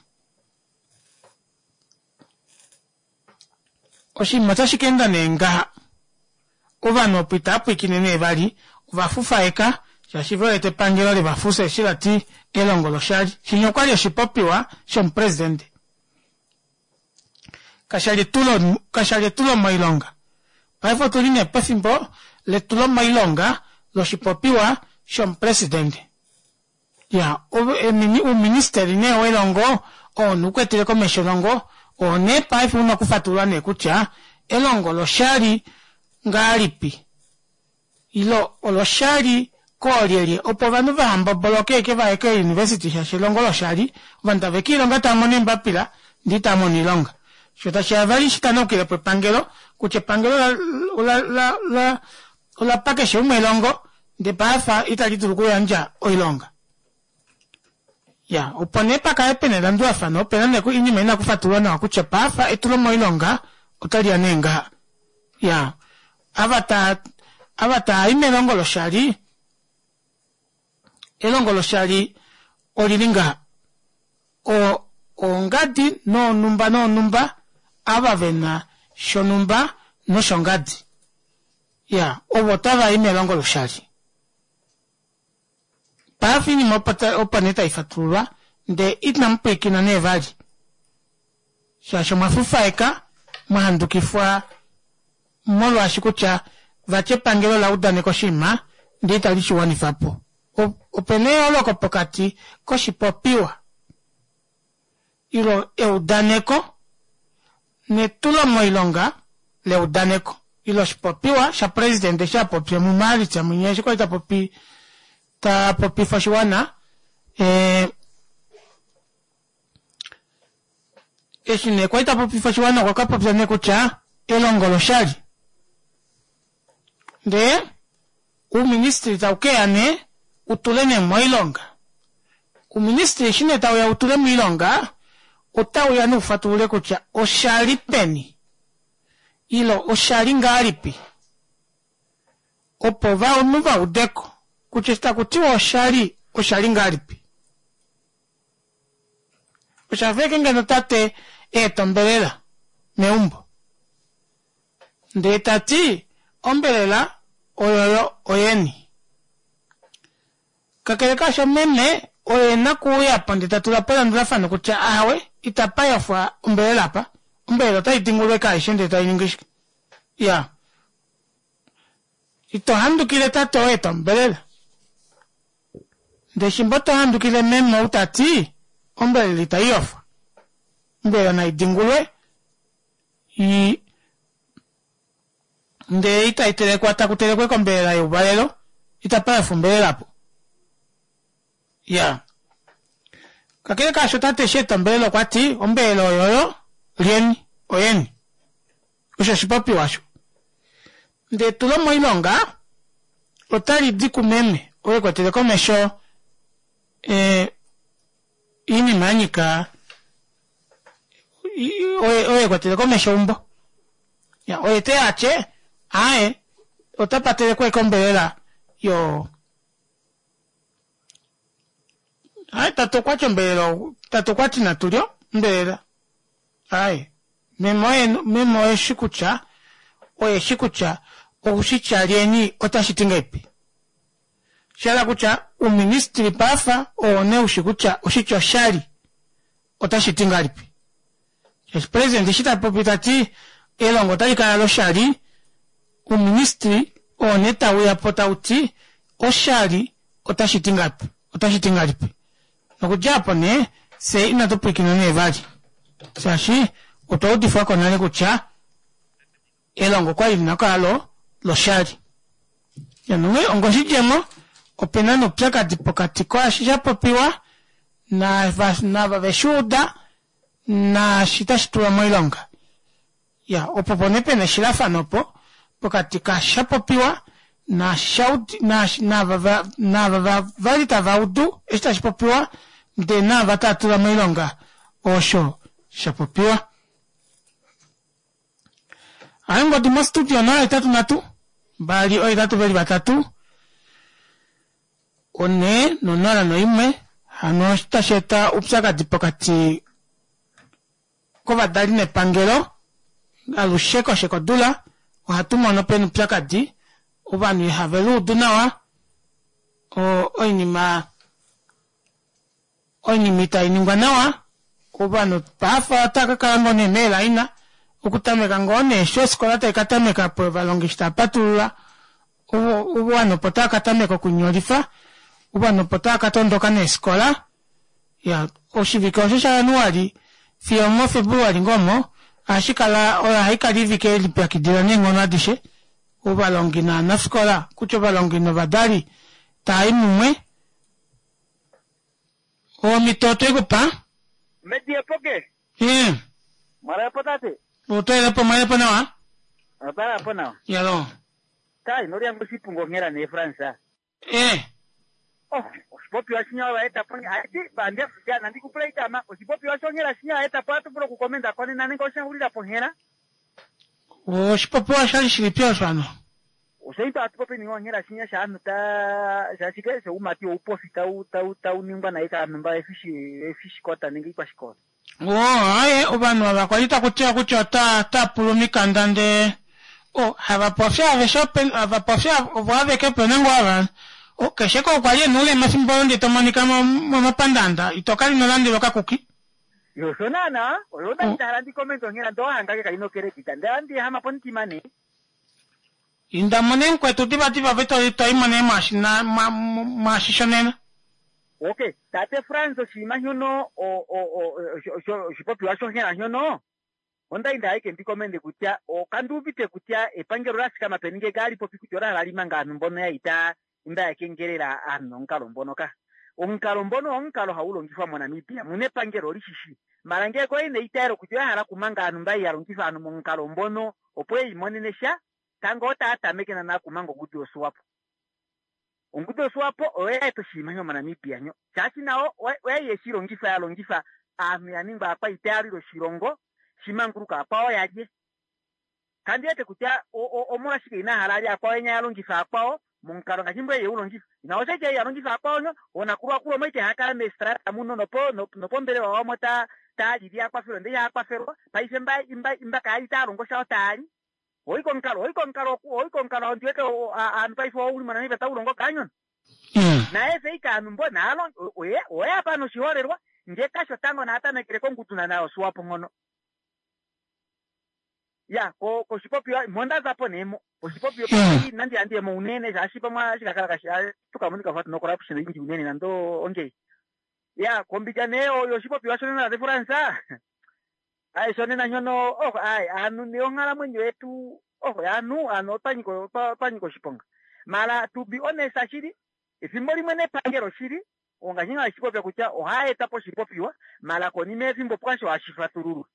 Oshinima otashi ka enda nee ngaha, ovanhu opo itava pwiikine nee vali, ova fufaeka shaashi ve wete epangelo le va fufya eshi la ti elongo loshali. Shinya okwali oshipopiwa shomupresidente. Kasha li kasha li etulomoilonga. Paife otu li nee pefimbo letulomoilonga loshipopiwa shomupresidente. Ya, uuministeli nee welongo oo nukwetele komesho elongo oo nee paife una okufatulula nee kutya elongo loshali ngahalipi ilo oloshali koolyelye opo ovanhu vaha mboboloke eke vaye keeuniversity shaashi elongo loshali ovanhu tave kiilonga tava mono eembapila ndee itava mono oilonga sho tashiya vali shitanaukile po epangelo kutya epangelo ola la la ola pa keshe umwe elongo ndee paife itali dulu okuyandja oilonga. Ya, opo nee pa kale pena elandulafano, opena nee oinima ina kufatululwa nawa kutya paife etulo moilonga otali ya nee ngaha. Ya, ava taa ava taa i melongo loshali, elongo loshali olili ngaha. O ongadi noonhumba noonhumba ava vena shonhumba noshongadi. Ya, ovo tava i melongo loshali. Paife oinima opo, opo nee tai fatululwa, ndee inamu pwiikina nee vali. Shaashi omwa fufaeka, mwa handukifwa molwaashi kutya vati epangelo ola udaneka oshinima ndee itali shi wanifa po. Ope na eyooloko pokati koshipopiwa ilo eudaneko netulomoilonga leudaneko ile oshipopiwa shapresidente eshi a popya muMaalitsa mwinya eshi kwali ta popi ta popifa oshiwana eh, eshi nee kwali ta popifa oshiwana okwa ka popya nee kutya elongo loshali ndee uuministili tau keya nee u tule nee moilonga Uuministili eshi nee tau ya wu tule miilonga, otau ya nee wu fatulule kutya osha li peni ilo osha li ngahalipi opo ovanhu va ude ko kutya eshi taku tiwa osha li, osha li ngahalipi. Osha fa ashike ngeno tate e eta ombelela meumbo ndee ta ti ombelela oyoyo oyeni. Kakele kaasho, meme oye e na okuuya po ndee ta tula po elandulafano kutya ahawe, itapa yofwa ombelela apa. Ombelela otai dingulwa eke aishe ndee tai ningi shike? Iya. Ito handukile tate oo e ta ombelela. Ndee shimba oto handukile meme ou ta ti ombelela itai yofwa. Ombelela nai dingulwe i Ndee itai telekwa taku telekwa eke ombelela youvalelo, itapa yofwa ombelela apo. Ya. Kakele kaasho tate eshi eta ombelela okwa ti, ombelela oyoyo, lyeni, oyeni. Osho oshipopiwa osho. Ndee etulo moilonga otali di kumeme oo e kwetele komesho e, oinima ya nyika oye oye kwatele komesho eumbo ya oye te ya tye aye ota patele kweke ombelela yo aye tate okwa ti ombelela tate okwa ti natu lyo ombelela aye meme oye meme oye shi kutya oye shi kutya okushitya lyeni otashi ti ngaipi. Sha kutya uuministili paafa owo nee ushi kutya oshitya oshali otashi ti ngahelipi. Shaashi president eshi ta popi ta ti elongo otali kala loshali, uuministili owo nee tau ya po tau ti oshali otashi ti ngapi, otashi ti ngahelipi. Nokudja apo nee fye inatu pwilikina nee vali shaashi otwa udifwa ko nale kutya elongo okwali lina okukala lo loshali. Nonghee ongoshidjemo opena noupyakadi pokati kwaashi sha popiwa naava veshi uda naashi tashi tulwa moilonga. Ya opo po nee pena eshilafano opo pokati kaasha popiwa naashi naava naava vali tava udu eshi tashi popiwa ndee naava tava tula moilonga osho sha popiwa. Ongodi mostudio 083 2 8 veli 3 4 0 1 hano otashi eta oupyakadi pokati kovadali nepangelo alushe koshe kodula ohatu mono pena oupyakadi ovanhu ihave luudu nawa oinima oinima itai ningwa nawa ovanhu paafa otava ka kala ngoo nee meelaina okutameka ngoo nee eshi ofikola tai ka tameka po ovalongi eshi tava patulula ovanhu opo tava ka tameka okunyolifa ovanhu opo tava ka tondoka neefikola ya oshivike osho shaJanuali fiyo moFebruali ngoo omo ohashi kala oyo hayi kala ivike yelipyakidila neenghono adishe ovalongi novanafikola kutya ovalongi novadali tava i mumwe omhito otwekupa Mediepoke. Mwalapo tate. Otwelepo mwalepo nawa. Otwalapo nawa. Yalo. Kai nolyangu oshipungo onghela nee France. Oh, oshipopiwa shinya vaetapo aiti nandikupula itama oshipopiwa shonghela shinya vaetapo atu vulu okukomenda konena nenge oshaxulila ponghela. Oshipopiwa shali shilipi osho hano? Oshaito atu popi ninga onghela shinya shaanhu ta shashike shoumati oupofi tau tau tau ningwa naye kaanhu mba efishikota nenge ikwashikota. Aye ovanhu ava kwali takutiwa kutya ota pula omikanda ndee havapofi aveshe havapofi ovo aveke opena ngoo ava keshe ko kwali ena oulema efimbo olo ndee tomonika momapandaanda ito kala ino landelwa okakuki. Osho naana oyo ndali ndahala ndikomente onghela ndee owahangake kaina okeredita ndee ohandiehama pomutima nee. Indamo nee mukwetu divadiva ove toimo nee mwaashi shonena. Okay, tate Frans oshinima shono oshipopiwa shonghela shono ondali ndahala ashike ndikomende kutya kanduuvite kutya epangelo ola fikama peni ngee kaali popi kutya ola hala limanga aanhu mbono ya ita imba ya kengelela aanhu nomukalo mbono ka. Omukalo mbono omukalo hau longifwa moNamibia muna epangelo olishishi mala ngee ko ina eitaelo kutya oya hala okumanga aanhu mba ya longifa aanhu momukalo mbono opo eimonene sha tango otaa tameke naana okumanga ongudu yoSwapo. Ongudu yoSwapo oyo ya eta oshinima sho moNamibia nyo shaashi nayo oyai yeshi longifa ya longifa aanhu ya ningwa aakwaita ya lwile oshilongo shimanguluka akwao yalye. Kandi wete kutya omolwashike ina hala alye akwao enya ya longifa akwao momukalo ngaashi mbwe ye u longifa. Ina osha ya longifa akwao nyo onakulwa moite hakala meestrata muno nopombelewa wamo taalili akwafelwa ndee ihakwafelwa paife imba kaali taalongo shao taali. Oiko omukalo oiko omukalo oiko omukalo ondiwete aanhu paife ouli moNamibia taulongo kaanyona. Naye feika aanhu mbo naalongi oye apa noshiholelwa ngee kasho tango naatamekele kongudu naana yoSwapo nghono. Ya koshipopiwa mondazapo nee mo oshipopiwa nandi handiyemo unene shaashi pamwe shikakala kashi tukamonika fa tuna corruption inji unene nando ongeyi. Ya kombinga nee yoshipopiwa shonena tate France ayi shonena nyono ayi aanhu nee onghalamwenyo yetu aanhu aanhu otwanyika oshiponga. Mala to be honest shili efimbo limwe nepangelo shili ongaashi nga shipopya kutya ohaeta po oshipopiwa mala konima yefimbo pwasho hashi fatululwa.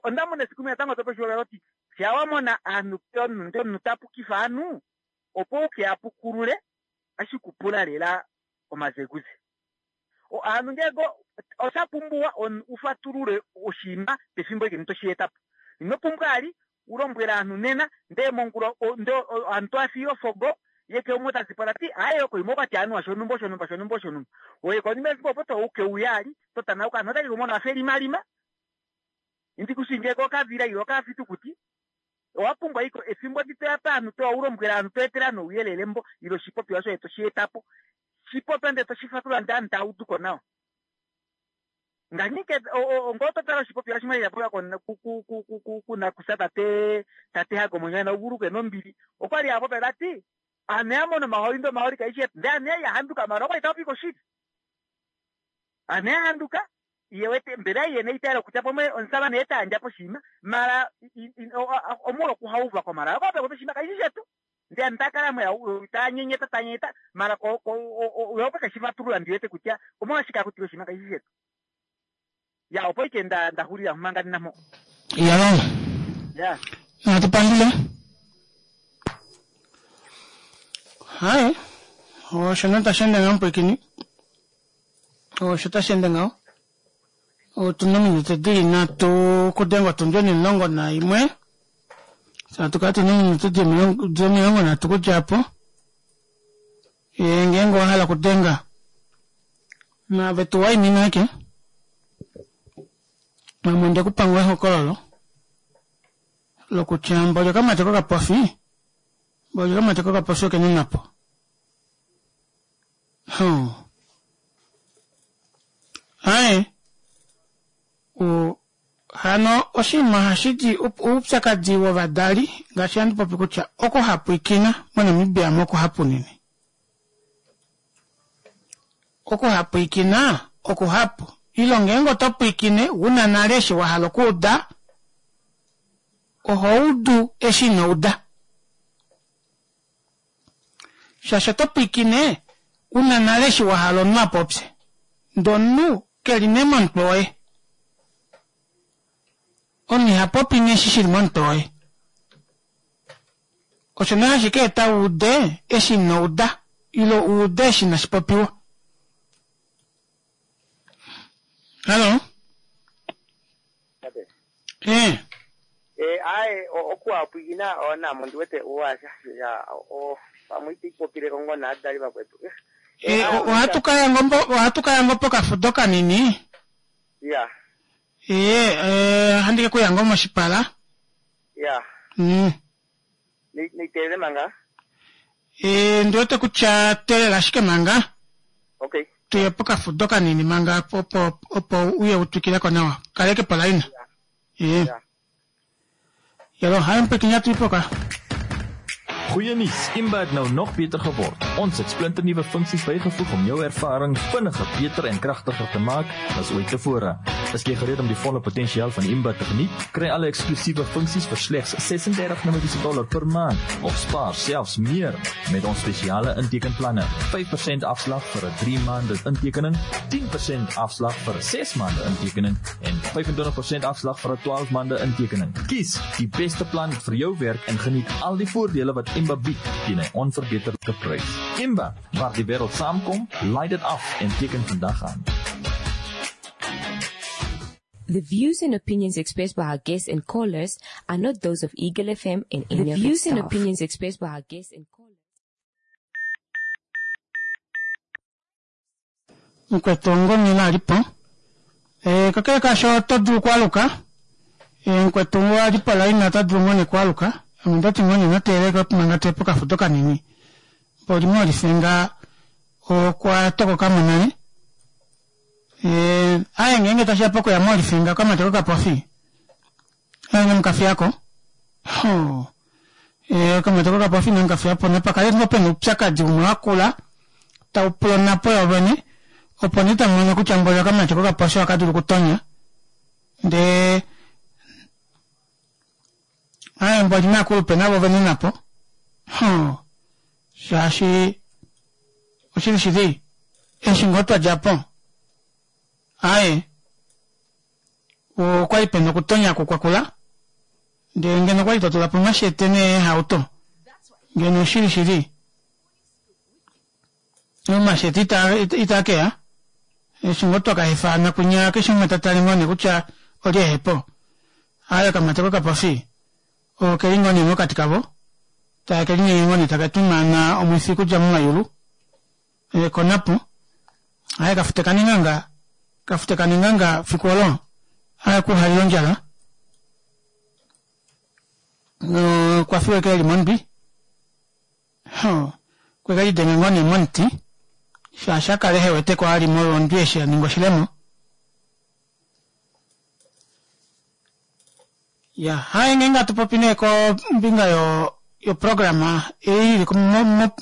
Ondamona esiku limwe natango tope oshiholelwa oti sha wamona aanhu omunhu tapukifa aanhu opo uke apukulule ashikupula lela omazeguze. Aanhu ngee osha pumbiwa ufatulule oshinima pefimbo eke toshietapo. Ino pumbwa ali ulombwele aanhu nena ndee mongula ndee aanhu toafiya ofogo ye ke umwe tazipo tati aye okoima okwati anuwa shonumba shonumba shonumba shonumba. Oye konima yefimbo opo touke uya ali totanauka aanhu otake kumona wafa elimalima. Indi kushinge ko okavila ile okafitukuti. Owa pumbwa iko efimbo ndi toya paanhu toya u lombwela aanhu to etele aanhu ouyelele mbo ile oshipopiwa shoye to shi eta po. Shi popya ndele to shi fatulula ndee aanhu tava udu ko nawa. Nganyike ngoo to tala oshipopiwa shimwe sha popiwa ku nakusa tate tate Hage Omwenyo na uvuluke nombili. Okwali a popya ta ti aanhu ya mona omahooli ndee omahooli kai shi etu. Ndee aanhu ya li ya handuka maala okwali ta popi koshili. Aanhu ya handuka ye wete mbela ye na eitaalo kutya pamwe omusamane oye ta yandja po oshinima mara omolwa okuhauva ko mara okwa popya oshinima kashi shi shetu ndele ame ta kala mo ta nyenyeta ta nyenyeta mara ye okwe ke shi fatulula ndi wete kutya omolwashike aku tile oshinima kashi shi shetu ya opo ike nda nda xulila manga ndi na mpo Yalongo. ya Natu pandule. Haye. Osho nee tashi ende ngaho mupwiikini. Osho tashi ende ngaho. Otu na ominute di li nhatu okudenga otundi onimulongo naimwe. Fye hatu kala tu na ominute di omilongo nhatu okudja opo. Ee, ngeenge owa hala okudenga naave tu waimina ashike. Ame onde ku pa ngoo ehokololo lokutya mboli okamati kokapofi, mboli okamati kokapofi oke na onhapo. Huh. Aye. O, hano oshinima ohashi di oupyakadi wovadali ngaashi handi popi kutya okuhapwikina moNamibia mo okuhapu unene. Okuhapwikina okuhapu. Ilo ngeenge oto pwiikine wu na nale eshi wa hala okuuda, oho udu eshi ino uda. Shaashi oto pwiikine u na nale eshi wa hala omunhu a popye, ndee omunhu ke li nee momutwe woye. Omunhu iha popi nee eshi shi li momutwe woye. Osho nee hashi ka eta u ude eshi ino uda, ile u ude eshi inashi popiwa. Hallo? Eh. Eh, aye okuhapwikina namo ondi wete ya pamwe ito ipopile ko ngoo naadali vakwetu. Eh, eh, eh ohatu ka ya ngoo ohatu ka ya ngoo pokafudo kanini. Ya. Eh, eh handi ke ku ya ngoo moshipala. Ya. Niteelele manga. Eh, ndi wete kutya teelela ashike manga. Okay. Tuye pokafudo kanini manga opo opo uye u twikile ko nawa. Kaleke po laina. Eh. Jalo, haai mpwikinya tuipoka. Goeie nuus, Imba het nou nog beter geword. Ons het splinternuwe funksies bygevoeg om jou ervaring vinniger, beter en kragtiger te maak as ooit tevore. Is jy gereed om die volle potensiaal van Imba te geniet? Kry alle eksklusiewe funksies vir slegs 36 Namibiese dollar per maand of spaar selfs meer met ons spesiale intekenplanne. 5% afslag vir 'n 3 maande intekening, 10% afslag vir 'n 6 maande intekening en 25% afslag vir 'n 12 maande intekening. Kies die beste plan vir jou werk en geniet al die voordele wat Imba bied teen 'n onverbeterlike prys. Imba, waar die wêreld saamkom, laai dit af en teken vandag aan. The views and opinions expressed by our guests and callers are not those of Eagle FM and any The of its views and staff. opinions expressed by our guests and callers. Mukwetu ongomila a li po. Eh, kakele kaasho oto dulu okwaluka. Eh, mukwetu oo a li polaina ota dulu ngoo nee okwaluka. Ame ondati ngoo nee nateeleke manga tuye pokafudo kanini. Mboli moolifenga okwa tokoka mo nale. Eh, aye ngeenge tashi ya pokuya moolifinga okamati kokapofi. Aye inamu ka fiya ko. Ho. Eh, okamati kokapofi inamu ka fiya po. Napa kale ngoo pena oupyakadi umwe wa kula tau pula onhapo yovene opo nee tamu mono kutya mboli okamati kokapofi ohaka dulu okutonya. Ndee aye mboli naakulupe navo vene napo. Ho. Shaashi oshili shili eshi ngoo twa dja po aye okwali pena okutonya ku kwakula ndele ngeno okwali twa tula po omashete neehauto ngeno oshili shili omashete itaa keya eshi ngoo twa ka hefana kwinya keshe umwe ta tale ngoo nee kutya olye ehepo aye okamati kokapofi Oke li ngoo nee mokati kavo, tae ke linyenga ngoo nee taka twimaana omwifi okudja momayulu e konapo. Aye kafute kanenganga, kafute kanenganga fiku olo, aye kuhalila ondjala. Okwa fiwa eke eli mondwi. Okwe ke lidenga ngoo nee momuti shaashi a kala ehe wete ko ali molwondwi eshi ya ninga oshilemo. Ya, haye ngeenge hatu popi nee kombinga yo yoprograma ei ili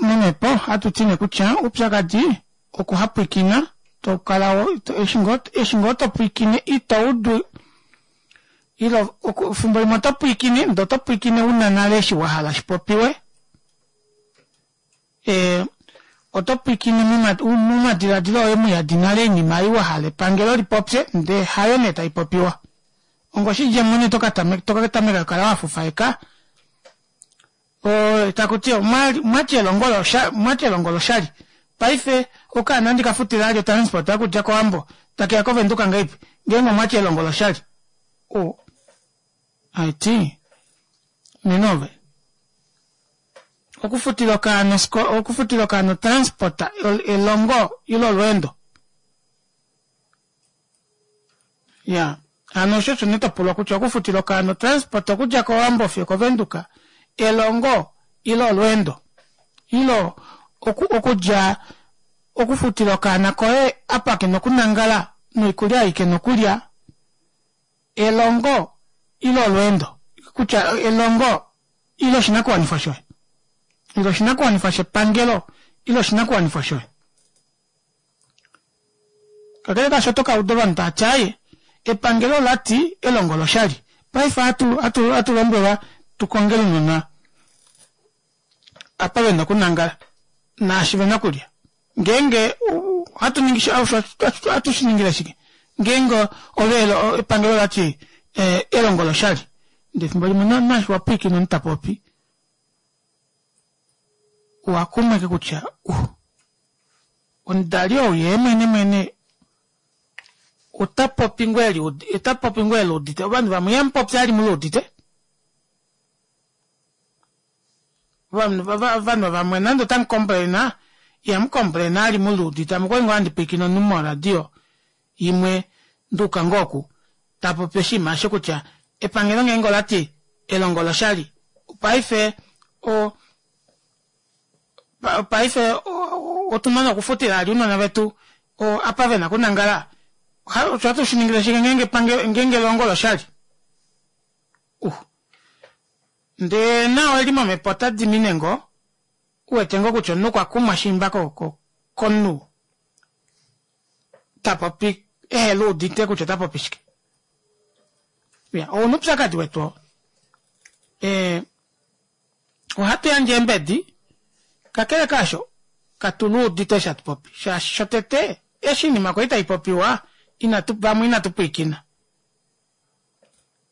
momhepo ohatu ti nee kutya oupyakadi okuhapwikina to kala eshi ngoo to pwiikine ito udu ile fimbo limwe oto pwiikine ndee oto pwiikine una nale eshi wa hala shi popiwe e, oto pwiikine momadiladilo oye muyadi nale oinima ei wa hala epangelo li popye ndee hayo nee tai popiwa ongoshidjemo nee toka tameka kukala wa fufaeka taku ti mwati elongo mwati elongo loshali paife okaana ndi ka futila ali otransport okudja kOwambo takeya kOvenduka ngahelipi ngeenge omwati elongo loshali o aiti nena ove okufutila okaana okufutila okaana otransport elongo ile olweendo Ya, hano osho osho nee to pulwa kutya okufutila okaana otransport okudja kOwambo fiyo kOvenduka, elongo ile olweendo? Ile oku, okudja okufutila okaana koye apa ke na okunangala noikulya ei ke na okulya, elongo ile olweendo? Kutya elongo ile oshinakuwanifwa shoye? Ile oshinakuwanifwa shepangelo ile oshinakuwanifwa shoye? Kakele kaasho oto ka uda ovanhu tava ti aaye epangelo ola ti elongo oloshali. Paife ohatu hatu hatu lombwelwa tu kongele ounona apa ve na okunangala naashi ve na okulya. Ngeenge ohatu ningi ohatu shi ningile shike ngeenge ove epangelo ola ti elongo oloshali ndee efimbo limwe naashi wa pwiikina omunhu ta popi owa kumwa ashike kutya uh, omudali ou yee mwene mwene ota popi ngoo eli ota popi ngoo eli udite ovanhu vamwe ihamu popi ali mu udite ovanhu ovanhu vamwe nande otamu komplaina ihamu komplaina ali mu udite ame okwali ngoo handi pwiikine omunhu moradio imwe nduuka ngoo oku ta popi oshinima osho kutya epangelo ngeenge ola ti elongo oloshali paife o paife otu na nokufutila ali ounona vetu apa ve na okunangala osho ohatu shi ningile shike ngeenge epangelo ngeenge elongo oloshali uh ndee nao eli momhepo ota dimine ngoo u wete ngoo kutya omunhu okwa kumwa shiimba komunhu ta popi ehe luudite kutya ota popi shike ya ouna upyakadi wetu oo eh, ohatu yandje eembedi kakele kaasho katu luudite eshi hatu popi shaashi shotete eshi iinima kwali tai popiwa inatu vamwe inatu pwiikina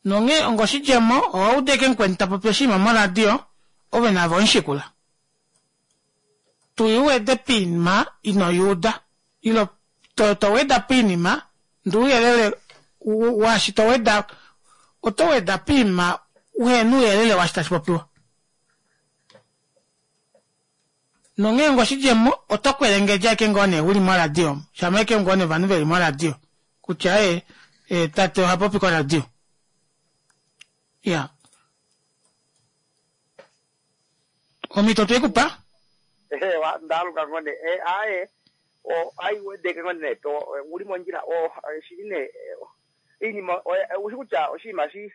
nonghee ongoshidjemo owa uda eke mukweni ta popi oshinima moradio ove nave omushikula Tu wede poinima ino yuuda ilo to, to weda poinima ndee ouyelele waashi to weda oto weda poinima uhena ouyelele waashi tashi popiwa. Nonghee ngo oshidjemo oto kwelengedja ashike ngoo nee uli moradio omo, shama ashike ngoo nee ovanhu veli moradio kutya ee, ee tate oha popi koradio. Iya. Omhito twe ku pa. Eewa, ndaaluka ngoo nee. Eh, aaye, o, ai wedeke ngoo nee to, uli mondjila, o, shili nee, oinima, oushi kutya oshinima shi,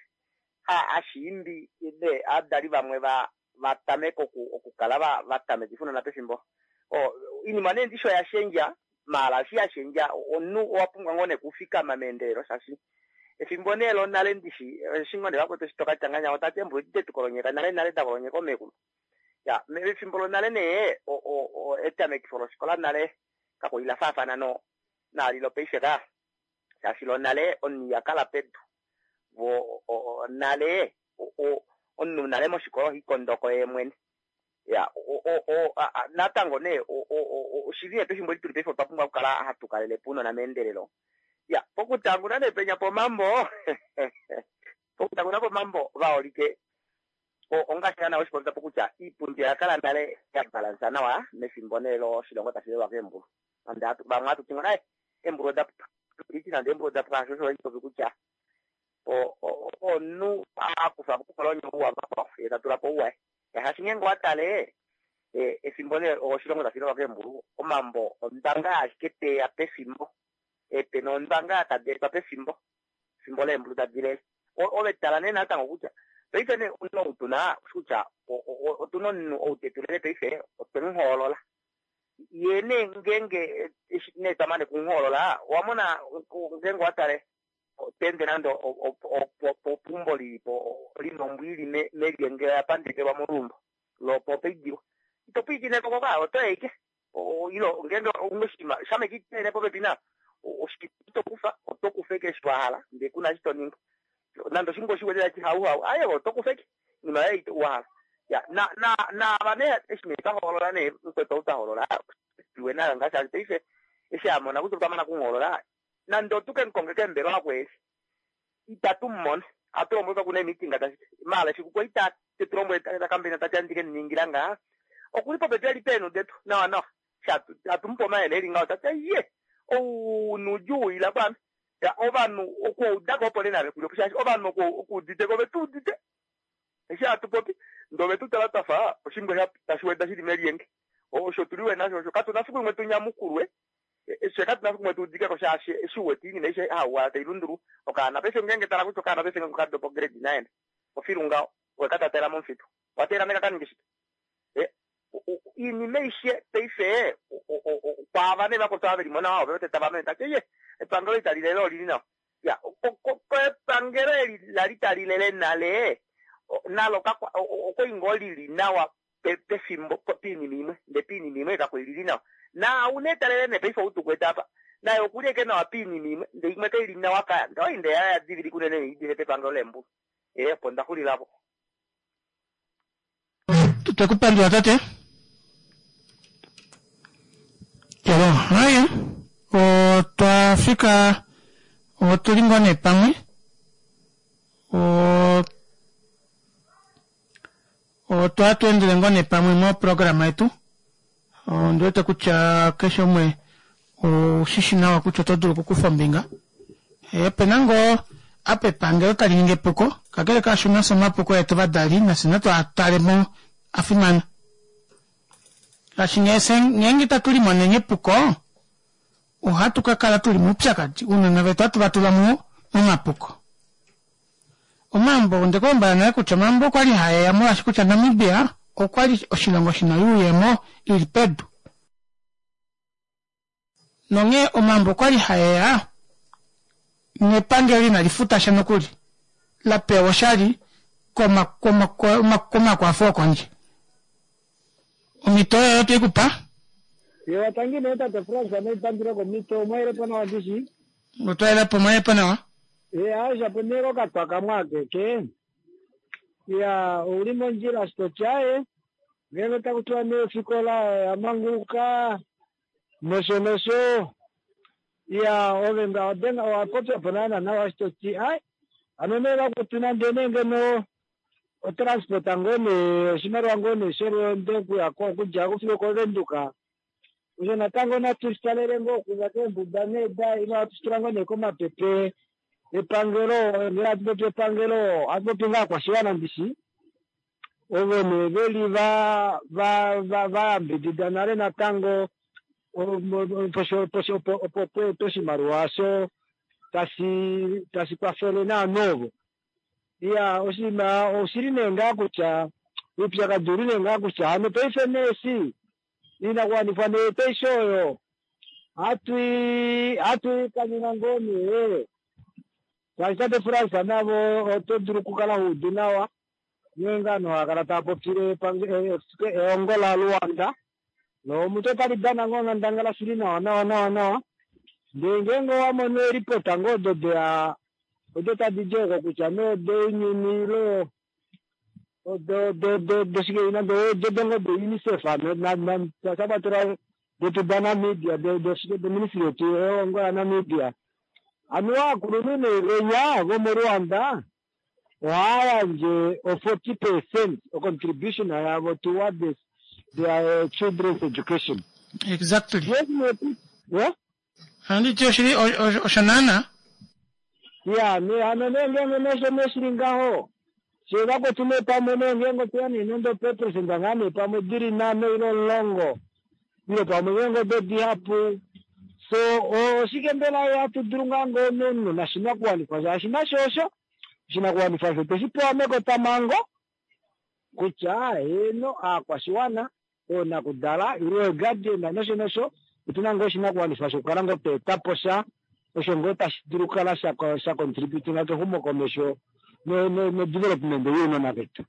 ha, hashi imbi nee aadali vamwe va, va tameke oku, okukala va, va tamekifa ounona pefimbo. O, oinima nee ndishi oya shendja, maala eshi ya shendja, omunhu owa pumbwa ngoo nee okufikama meendelelo shaashi efimbo nee lonale ndishi eshi ngoo nee vakwetu eshi toka tya ngahenya otati eembulu edi detu kolonyeka nale nale da kolonyeka oomekulu. Ya, mefimbo lonale nee etamekifo lofikola nale kakwali la faafana no naali lopaife ka, shaashi lonale omunhu iha kala pedu vo nale omunhu nale moshikola oha ikondoko yee mwene. Ya, natango nee oshili nee pefimbo eli tuli paife otwa pumbwa okukala hatu kalele po ounona meendelelo. Ya, pokutanguna nee penya pomambo pokutanguna pomambo vaholike ongaashi naana weshi popya po kutya iipundi oya kala nale ya balansa nawa mefimbo nee loshilongo tashi lelwa keembulu. Nande vamwe ohatu ti ngoo eembulu oda puka, iti nande eembulu oda puka, hasho osho handi popi kutya Omunhu a kufa po oupolonyo ou wavakwao ye ta tula po ou waye. Shaashi ngeenge owa tale efimbo nee oshilongo tashi longwa keembulu, omambo ondwanga ashike teya pefimbo, eepena ondwanga tadi etwa pefimbo, efimbo leembulu tadi lele. Ove tala nee natango kutya paife nee omunhu ou tuna oshi kutya otuna omunhu ou tetu lele paife otwe mu hoolola. Ye nee ngeenge eshi nee twa mane okumuhoolola owa mona ngeenge owa tale to ende nande opeumbo li li po li na ombwa i li melyenge oya pandekelwa moluumbo lopo opa idilwa. Ito pwilikine ko ka, oto i ashike. Ile ngeenge ou na oshinima shamha ashike ito ehene popepi nayo, oshinima ito kufa, oto kufa ashike eshi wa hala ndee ku na eshi to ningi. Nande oshimbwa oshi wete tashi hauhau, aaye oto kufa ashike oinima yoye ei wa hala. Ya, na na naava nee eshi nee twa hoolola nee mukwetu ou twa hoolola, iwe nayo ngaa shaashi paife eshi a mona kutya otwa mana okumuhoolola, Nande otu ke mu konge keembelewa oku eli, itatu mu mono. Ohatu lombwelwa kutya oku na eemeeting ta shike. Maala efiku kwali ta te tu lombwele ta kambaina ta ti ohandi ke mu ningila ngaha, oku li popepi e li peenhu detu nawanawa. Eshi hatu hatu mu pe omayele e li ngaho, ta ti aiye, ou noudjuu ila kwaame. Ya, ovanhu okuudako opo nee nave ku li opo shaashi ovanhu oku okuudite ko ove tu udite eshi hatu popi ndee ove tu tala twa fa oshimbwa sha tashi weda shi li melyenge. Osho tu liwe nasho osho katu na fiku limwe tu nyamukulwe Fye katu na fiku tu udike ko shaashi eshi u wete oinima aishe hauwala tai lundululwa. Okaana paife ngeenge tala kutya okaana paife ngeenge oka dopa ograde nine ofilu ngaho owe ka tatela momufitu. Owa teelela nee ka ka ninge shike? Oinima aishe paife kwaava nee vakwetu ava ve li mo nawa ove wete tava mene tati eye epangelo itali lele oli li nawa. Ya, epangelo eli la li tali lele nale nalo okwali ngoo li li nawa pefimbo piinima imwe ndee piinima imwe kakwa li li nawa. Naau nee talele nee paife ou tukwete apa naye okuli ashike nawa piinima imwe ndee imwe kai li nawa kaya. Ndee oinda yaye oya divilika unene nee idife pepangelo leembulu. Ee opo nda xulila po. Twe ku pandula tate. Yalo, haya. Otwa fika otu li ngoo nee pamwe. Otwa tu endele ngoo nee pamwe moprograma yetu. Ondi wete kutya keshe umwe oushi shi nawa kutya oto dulu okukufa ombinga. Ope na ngoo apa epangelo tali ningi epuko, kakele kaasho nafye omapuko etu ovadali nafye natu a tale mo a fimana. Shaashi ngeenge itatu limonene epuko, ohatu ka kala tuli moupyakadi, ounona vetu ohatu va tula momapuko. Omambo, onde ku lombwela nale kutya omambo okwa li hae ya molwaashi kutya Namibia okwa li oshilongo shi na oyuuyemo i li pedu. Nonghee omambo okwa li hae ya nepangelo inali futa sha nokuli, la pewa oshali komakwafo okondje. Omhito oyo otwe i ku pa. Ewa, tangi nee tate Frans, ame ipandula komhito, omwa yele po nawa ndishi? Otwa yela po, omwa yele po nawa. Eya, shapo nee kokatwa kamwe akeke. Iya, ouli mondjila eshi to ti aaye, ngeenge otaku tiwa nee ofikola oya manguluka nosho nosho, iya, ove nga owa owa popya po naana nawa eshi to ti ai, hano nee vakwetu nande nee ngeno otransport ngoo nee oshimaliwa ngoo nee sholweendo okuya ko okudja ko fiyo okoVenduka osho natango natu shi talele ngoo okuza keembuda nee da ile ohatu shi tula ngoo nee komapepe epangelo ngee hatu popi epangelo ohatu popi ngaa aakwashiwana ndishi ovo nee veli va va va va yambidida nale natango opo opo pweetwe oshimaliwa osho tashi tashi kwafele naanhu ovo Iya, oshinima oshili nee ngaa kutya uupyakadi ouli nee ngaa kutya hano paife nee eshi iinakuwanifwa nee yetu aishe oyo ohatu i ohatu i kanyuna ngoo nee shaashi tate Frans navo oto dulu okukala ho udu nawa nghee ngaa ovanhu hava kala tava popile ehongo laLuanda nomuntu otali dana ngoo onghandangala shili nawa nawa nawa nawa ndee ngeenge owa mono eelipota ngoo odo deya odo tadi di oko kutya nee odounyuni ile odo do do doshike nande odo dongo do UNICEF sha kwatelwa detu daNamibia doshike doministry yetu yehongo yaNamibia anuwa aakulunhu nee venya vomoRwanda ohaya yandje o 40 percent o contribution yavo towards their children's education. Exactly. Yes, yeah? Ohandi ti oshili osho naana. Iya, nee hano nee ngeenge nee osho nee shili ngaho, fyee vakwetu nee pamwe nee ngeenge otweya nee nande opeeperesenda ngaa nee pamwe dili nhano ile omulongo, ile pamwe ngeenge odo dihapu, so oshike mbela hatu dulu ngaa ngoo nomunhu noshinakuwanifwa shaashi nasho osho oshinakuwanifwa osho tweshi pewa mekotamhango kutya heeno aakwashiwana, oonakudala ile eeguardian nosho nosho otu na ngoo oshinakuwanifwa shokukala ngoo twa eta po sha osho ngoo tashi dulu okukala sha contributinga kexumokomesho nodevelopment younona vetu.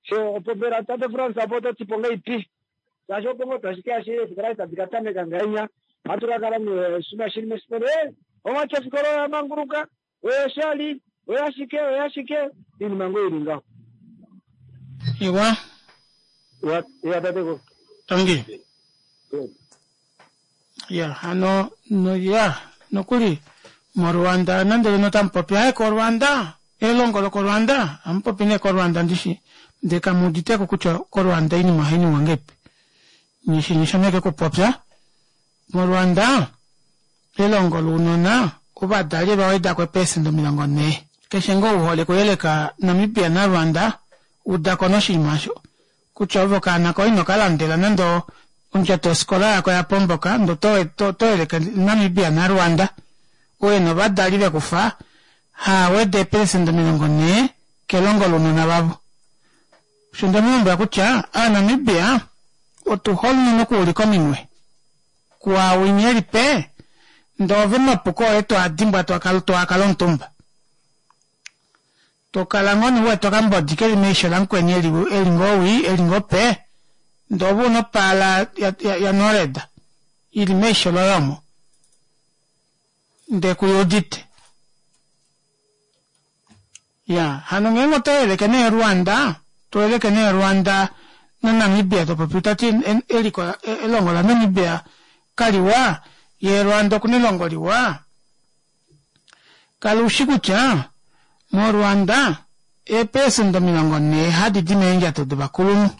So opo mbela tate Frans apo oto ti po ngaipi? Shaashi opo ngoo tashi ke ashike eefikola eshi tadi ka tameka ngahenya ohatu ka kala nee oshinima shili mefikola ee omwati ofikola oya manguluka oyoshali oyashike oyashike iinima ngoo ili ngaho. Iwa. Ya ya tatekulu. Tangi. Ya hano no ya nokuli moRwanda nande leno tamu popi aye koRwanda elongo lokoRwanda amu popi nee koRwanda ndishi ndee kamu uditeko kutya koRwanda oinima ohai ningwa ngahelipi nyishi nyishomeke okupopya moRwanda Elongo lounona, ovadali ova weda ko eepelesenda 40. Keshe ngoo u hole okuyeleka Namibia naRwanda, uda ko noshinima osho kutya ove okaana koye ino ka landela nande ondjato yofikola yako ya pomboka ndee oto yeleke Namibia naRwanda u ena ovadali ve ku fa haa weda eepelesenda 40 kelongo lounona vavo. Osho nde mu lombwela kutya Aanamibia otu hole unene okuulika ominwe. Kuawinya eli pe, ndee ove omapuko oye to a dimbwa to a kala omutumba. To kala ngoo nee u wete okambodi keli meisho lamukweni eli eli ngoo wii, eli ngoo pe, ndee ove una opaala ya, ya, ya Nored ili meisho loye omo, ndee ku udite. Ya, hano ngeenge oto yeleke nee Rwanda, to yeleke nee Rwanda naNamibia to popi ta ti eliko elongo laNamibia kaliwa, ye Rwanda okuna elongo liwa. Kala ushi kutya moRwanda eepelesenda 40 hadi di meendjato dovakulunhu.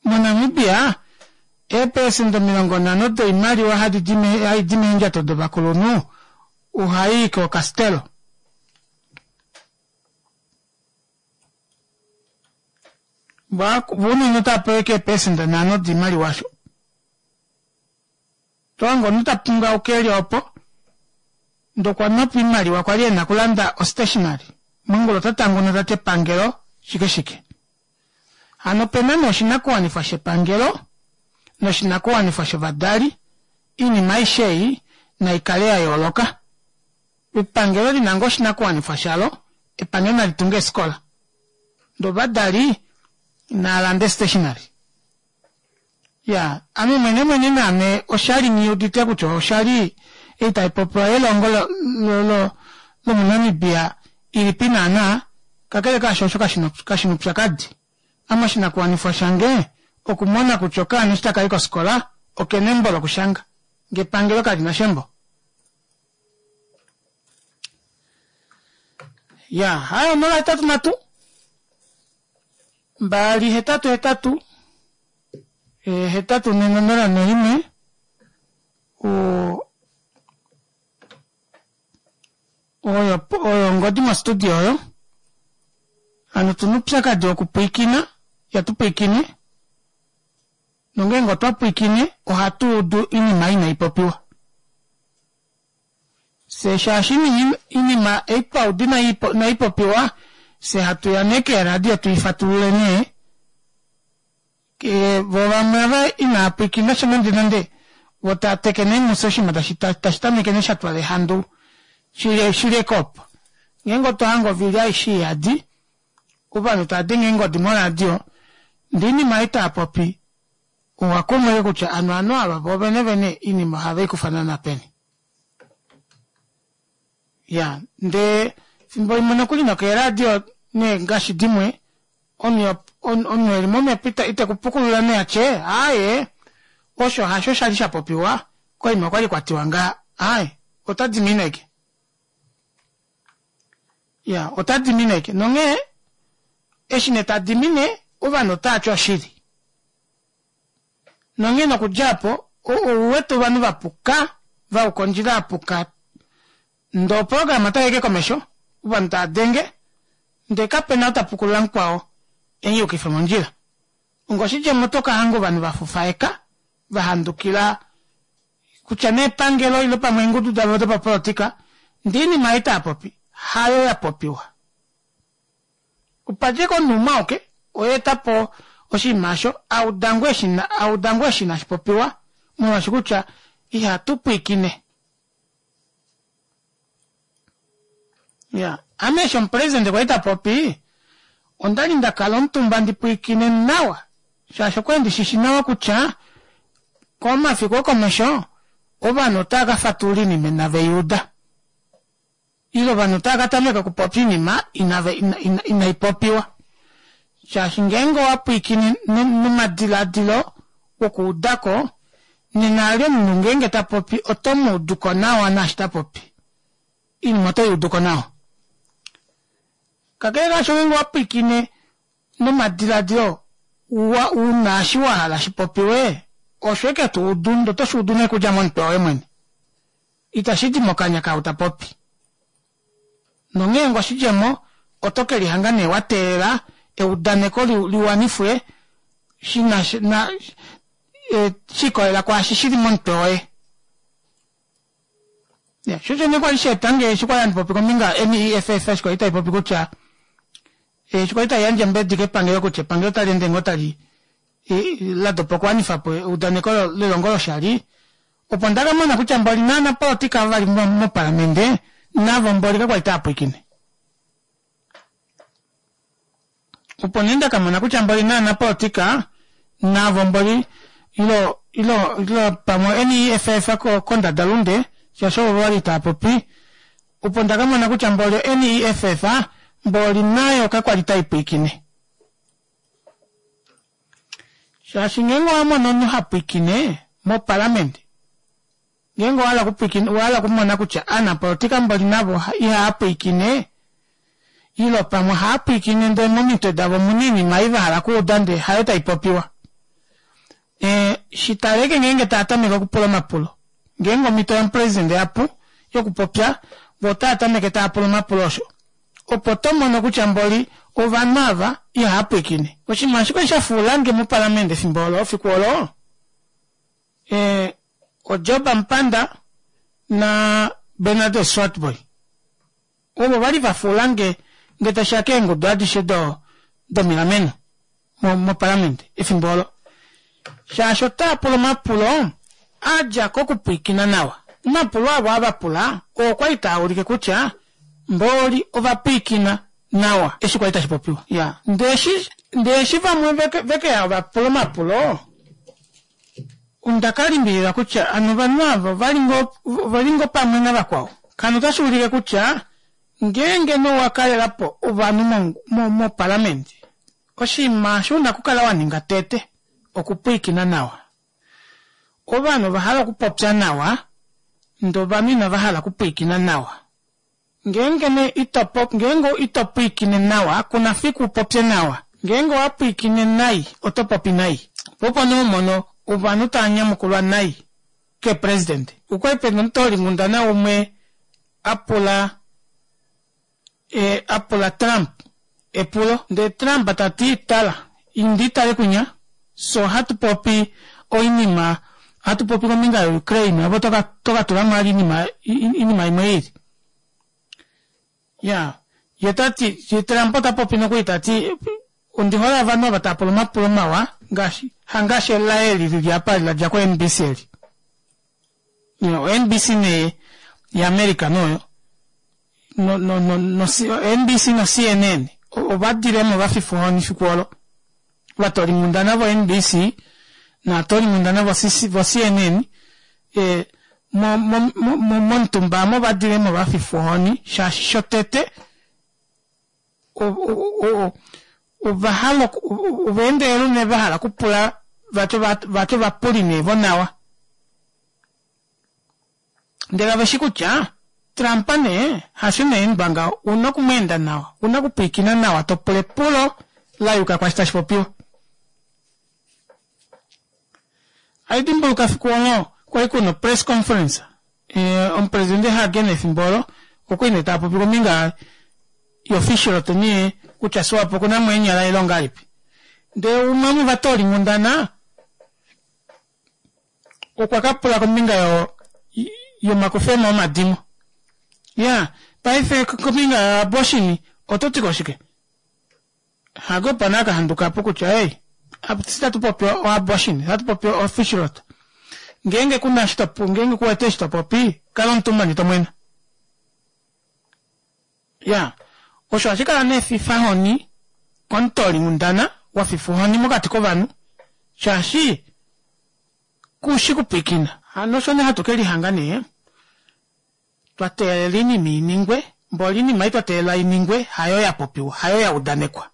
MoNamibia, eepelesenda 50 doimaliwa hadi di hai di meendjato dovakulunhu ohai i kookastelo. Vo unene otava pewa ashike eepelesenda nhano doimaliwa osho. To hange omunhu ta pungauka e li opo, ndee okwa nwa po oimaliwa kwa li e na okulanda ostationery, mongula ota tanguna ta ti epangelo shike shike. Hano ope na nee oshinakuwanifwa shepangelo noshinakuwanifwa shovadali, oinima aishe ei nai kale ya yooloka. Epangelo li na ngoo oshinakuwanifwa shalo, epangelo nali tunge eefikola, ndee ovadali naa lande stationery. Ya, ame mwene mwene naame osha li nghi udite kutya osha li ei tai popiwa yelongo lomuNamibia ilipi naana, kakele kaasho osho kashi na oupyakadi. Ame oshinakuwanifwa shange okumona kutya okaana eshi taka i kofikola oke na embo lokushanga, ngee epangelo kali na sha embo. Ya, hayo 083. 2 8 8 8 4 0 1 oyo oyo ongodi mostudio oyo hano tuna upyakadi wokupwiikina ihatu pwiikine nongeenge otwa pwiikine ohatu udu inima inai popiwa Fye shaashi inima ei twa uda inai popiwa, fye hatu ya nee keeradio tu i fatulule nee. Vo vamwe ava inaa pwiikina sha nande nande, vo taa teke nee mufye oshinima tashi tameke nee sha twala ehandu shi li eke opo. Ngeenge otwa hange ovili aishe iyadi, ovanhu tava denge eengodi moradio, ndee oinima ei tava popi owa kumwa ashike kutya ano ovanhu ava vo venevene oinima ohave i kufa naana peni. Ya, ndee fimbo limwe nokuli nokeeradio nee ngaashi dimwe, omunhu omunhu eli momhepo ita ite ku pukulula nee atye aaye osho hasho shali sha popiwa koima okwali kwa tiwa nga aaye ota dimine aike. Ya, ota dimine aike nonghee eshi nee ta dimine ovanhu otava ti oshili. Nonghee nokudja opo, ou wete ovanhu va puka, va yuka ondjila ya puka. Ndee oprograma otai ike komesho, ovanhu tava denge, ndee kape na ou ta pukulula mukwao e mu yukife mondjila. Ongoshidjemo oto ka hanga ovanhu va fufaeka, va handukila kutya nee epangelo ile pamwe eengudu davo dopapolitika, ndee oinima ei tava popi hayo ya popiwa. Opa dja ashike omunhu umwe auke oye eta po oshinima osho, a uda ngoo eshi a uda ngoo eshi inashi popiwa, molwaashi kutya ihatu pwiikine. Ya, ame eshi omupresidente kwali ta popi, onda li nda kala omutumba ndi pwiikine nawa, shaashi okwali ndi shishi nawa kutya komafiku okomesho ovanhu otava ka fatulula oinima inave i uda. Ile ovanhu otava ka tameka okupopya oinima inave inai popiwa. Shaashi ngeenge owa pwiikine nomadiladilo wokuuda ko, nena ali omunhu ngeenge ta popi oto mu udu ko nawa naashi ta popi. Oinima oto i udu ko nawa. Kakele kaasho ngeenge owa pwiikine nomadiladilo wa u na eshi wa hala shi popiwe, osho eke to udu ndee oto shi udu nee okudja momutwe woye mwene. Itashi di mokanya kaau ta popi. Nonghee ngoshidjemo, oto ke lihanga nee wa teelela eudaneko li, li wanifwe shi na sha na, e, shi ikolelela kwaashi shi li momutwe woye. Ya, sho osho nee kwa li sha eta nge eshi kwa li handi popi kombinga yo-NEFF eshi kwa li tai popi kutya, eshi kwa li tai yandje ombedi kepangelo kutya epangelo otali ende ngoo tali la dopa okuwanifa po eudaneko lelongo loshali, opo nda ka mona kutya mboli naanapolotika ava va li mopaliamente navo mboli kakwa li tava pwilikine. Opo nee nda ka mona kutya mboli naanapolotika navo mboli ilo ilo ilo pamwe NEFF kondadalunde shaashi ovo va li tava popi, opo nda ka mona kutya mboli oNEFF mboli nayo kakwa li tai pwilikine. Shaashi ngeenge owa mono omunhu ha pwilikine mopalamende, ngeenge owa hala okupwilikina, owa hala okumona kutya aanapolotika mboli navo ihava pwilikine, ile pamwe ohava pwilikine ndele momitwe davo omu na oinima ei va hala okuuda ndele hayo tai popiwa. E, shi taleke ngeenge tava tameke okupula omapulo. Ngeenge omhito yomupresidende ya pu yokupopya, vo otava tameke tava pula omapulo osho. Opo to mono kutya mboli ovanhu ava ihava pwilikine. Oshinima ashike sha fuulange mopalamende efimbo olo, efiku olo, e, oJob Amupanda na Bernadus Swartbooi. Ovo va li va fuulange nge tashi ya keengudu adishe do, domilameno mo, mopalamende efimbo olo. Shaashi otaa pula omapulo a dja kokupwiikina nawa. Omapulo avo ava pula oo kwa li taa ulike kutya mbooli ova pwiikina nawa eshi kwa li tashi popiwa. Ya. Ndee eshi, ndee eshi vamwe veke, veke ya va pula omapulo, onda ka limbililwa kutya ano ovanhu ava ova li ngoo, ove li ngoo pamwe navakwao. Kano otashi ulike kutya ngeenge nee owa kalela po ovanhu mo, mo, mopalamende, Oshinima osho u na okukala wa ninga tete, okupwilikina nawa. Ovanhu ova hala okupopya nawa, ndele ovanhu inava hala okupwilikina nawa. Ngeenge nee ito po, ngeenge ito pwilikine nawa, ku na fiku u popye nawa. Ngeenge owa pwilikine nai, oto popi nai. Po opo nee ho mono ovanhu tava nyamukulwa nai keepresidente. Okwa li pe na omutoolinghundana umwe a pula e a pula Trump epulo ndee Trump ta ti, Tala, indi tale kwinya, fye ohatu popi oinima, ohatu popi kombinga yoUkraine, ove oto ka, oto ka tula mo vali oinima, oinima imwe i lili. Ya, ye ta ti, ye Trump ota popi nokuli ta ti, Ondi hole ovanhu ava tava pula omapulo mawa, ngaashi, hangaashi elaye eli lili apa eli la dja koNBC eli. Yo, oNBC nee yaAmerica noyo no no no no NBC no CNN ova dilemo va fifa ohoni fiku olo. Ovatoolinghundana vo NBC naatoolinghundana vo vo CNN e mo mo mo momutumba amo va dilemo va fifa ohoni shaashi shotete ova hala ova endelela unene va hala okupula vati vati ovapuli nee vonawa ndele ove shi kutya Trump nee hasho nee endwa ngaho una okumweenda nawa una okupwiikina nawa to pula epulo la yuka kwashi tashi popiwa Haidimbuluka fiku olo kwali kuna press conference. Omupresidente Hage nefimbo olo okwali nee taapopi kombinga yofishrot nee kutya Swapo okuna mo eenyala ile ongahelipi. Ndee umwe womovatoolinghundana okwa ka pula kombinga yo yomakufemo omadimo. Ya, paife kombinga yoabortion oto ti ko shike? Hage opo nee aka handuka po kutya ei, fye itatu popi oabortion, ohatu popi ofishrot. Ngeenge kuna eshi to, ngeenge ku wete eshi to popi, kala omutumba ndee to mwena. Ya, osho ohashi kala nee efifahoni komutoolinghundana wa fifwa ohoni mokati kovanhu shaashi ku shi kupwiikina. Hano osho nee hatu ke lihanga nee twa teelela oinima i ningwe, mboli oinima ei twa teelela i ningwe hayo ya popiwa, hayo ya udanekwa.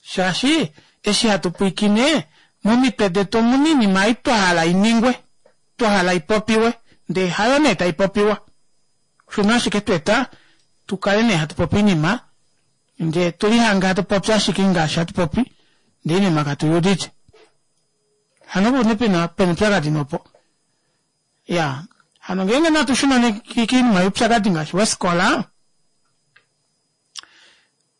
Shaashi eshi hatu pwiikine, momitwe detu omu na oinima ei twa hala i ningwe, twa hala i popiwe, ndee hayo nee tai popiwa. Osho nee ashike twa eta tu kale nee hatu popi oinima, ndee tu lihange hatu popi ashike ngaashi hatu popi, ndee oinima katu i udite. Hano opo nee pena pena oupyakadi nee opo. Ya, hano ngeenge natu shuna nee koinima youpyakadi ngaashi wefikola,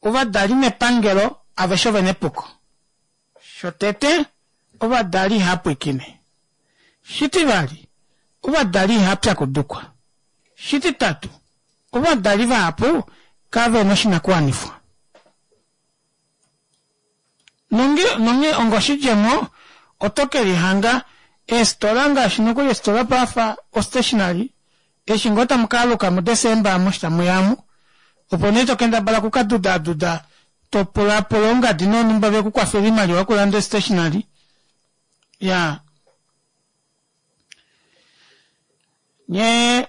Ovadali nepangelo aveshe ove na epuko. Shotete, ovadali ihava pwiikine. Shitivali, ovadali ihava pyakudukwa. Shititatu, ovadali vahapu kave na oshinakuwanifwa. Nonge, nonghee ongoshidjemo, oto ke lihanga eefitola ngaashi nokuli eefitola pafa ostationery, eshi ngoo tamu ka aluka muDesemba amu eshi tamu ya amu, opo nee to kendabala oku ka dudaaduda to pulaapula oungadi noonhumba ve ku kwafele oimaliwa yokulanda ostationery. Ya. Nye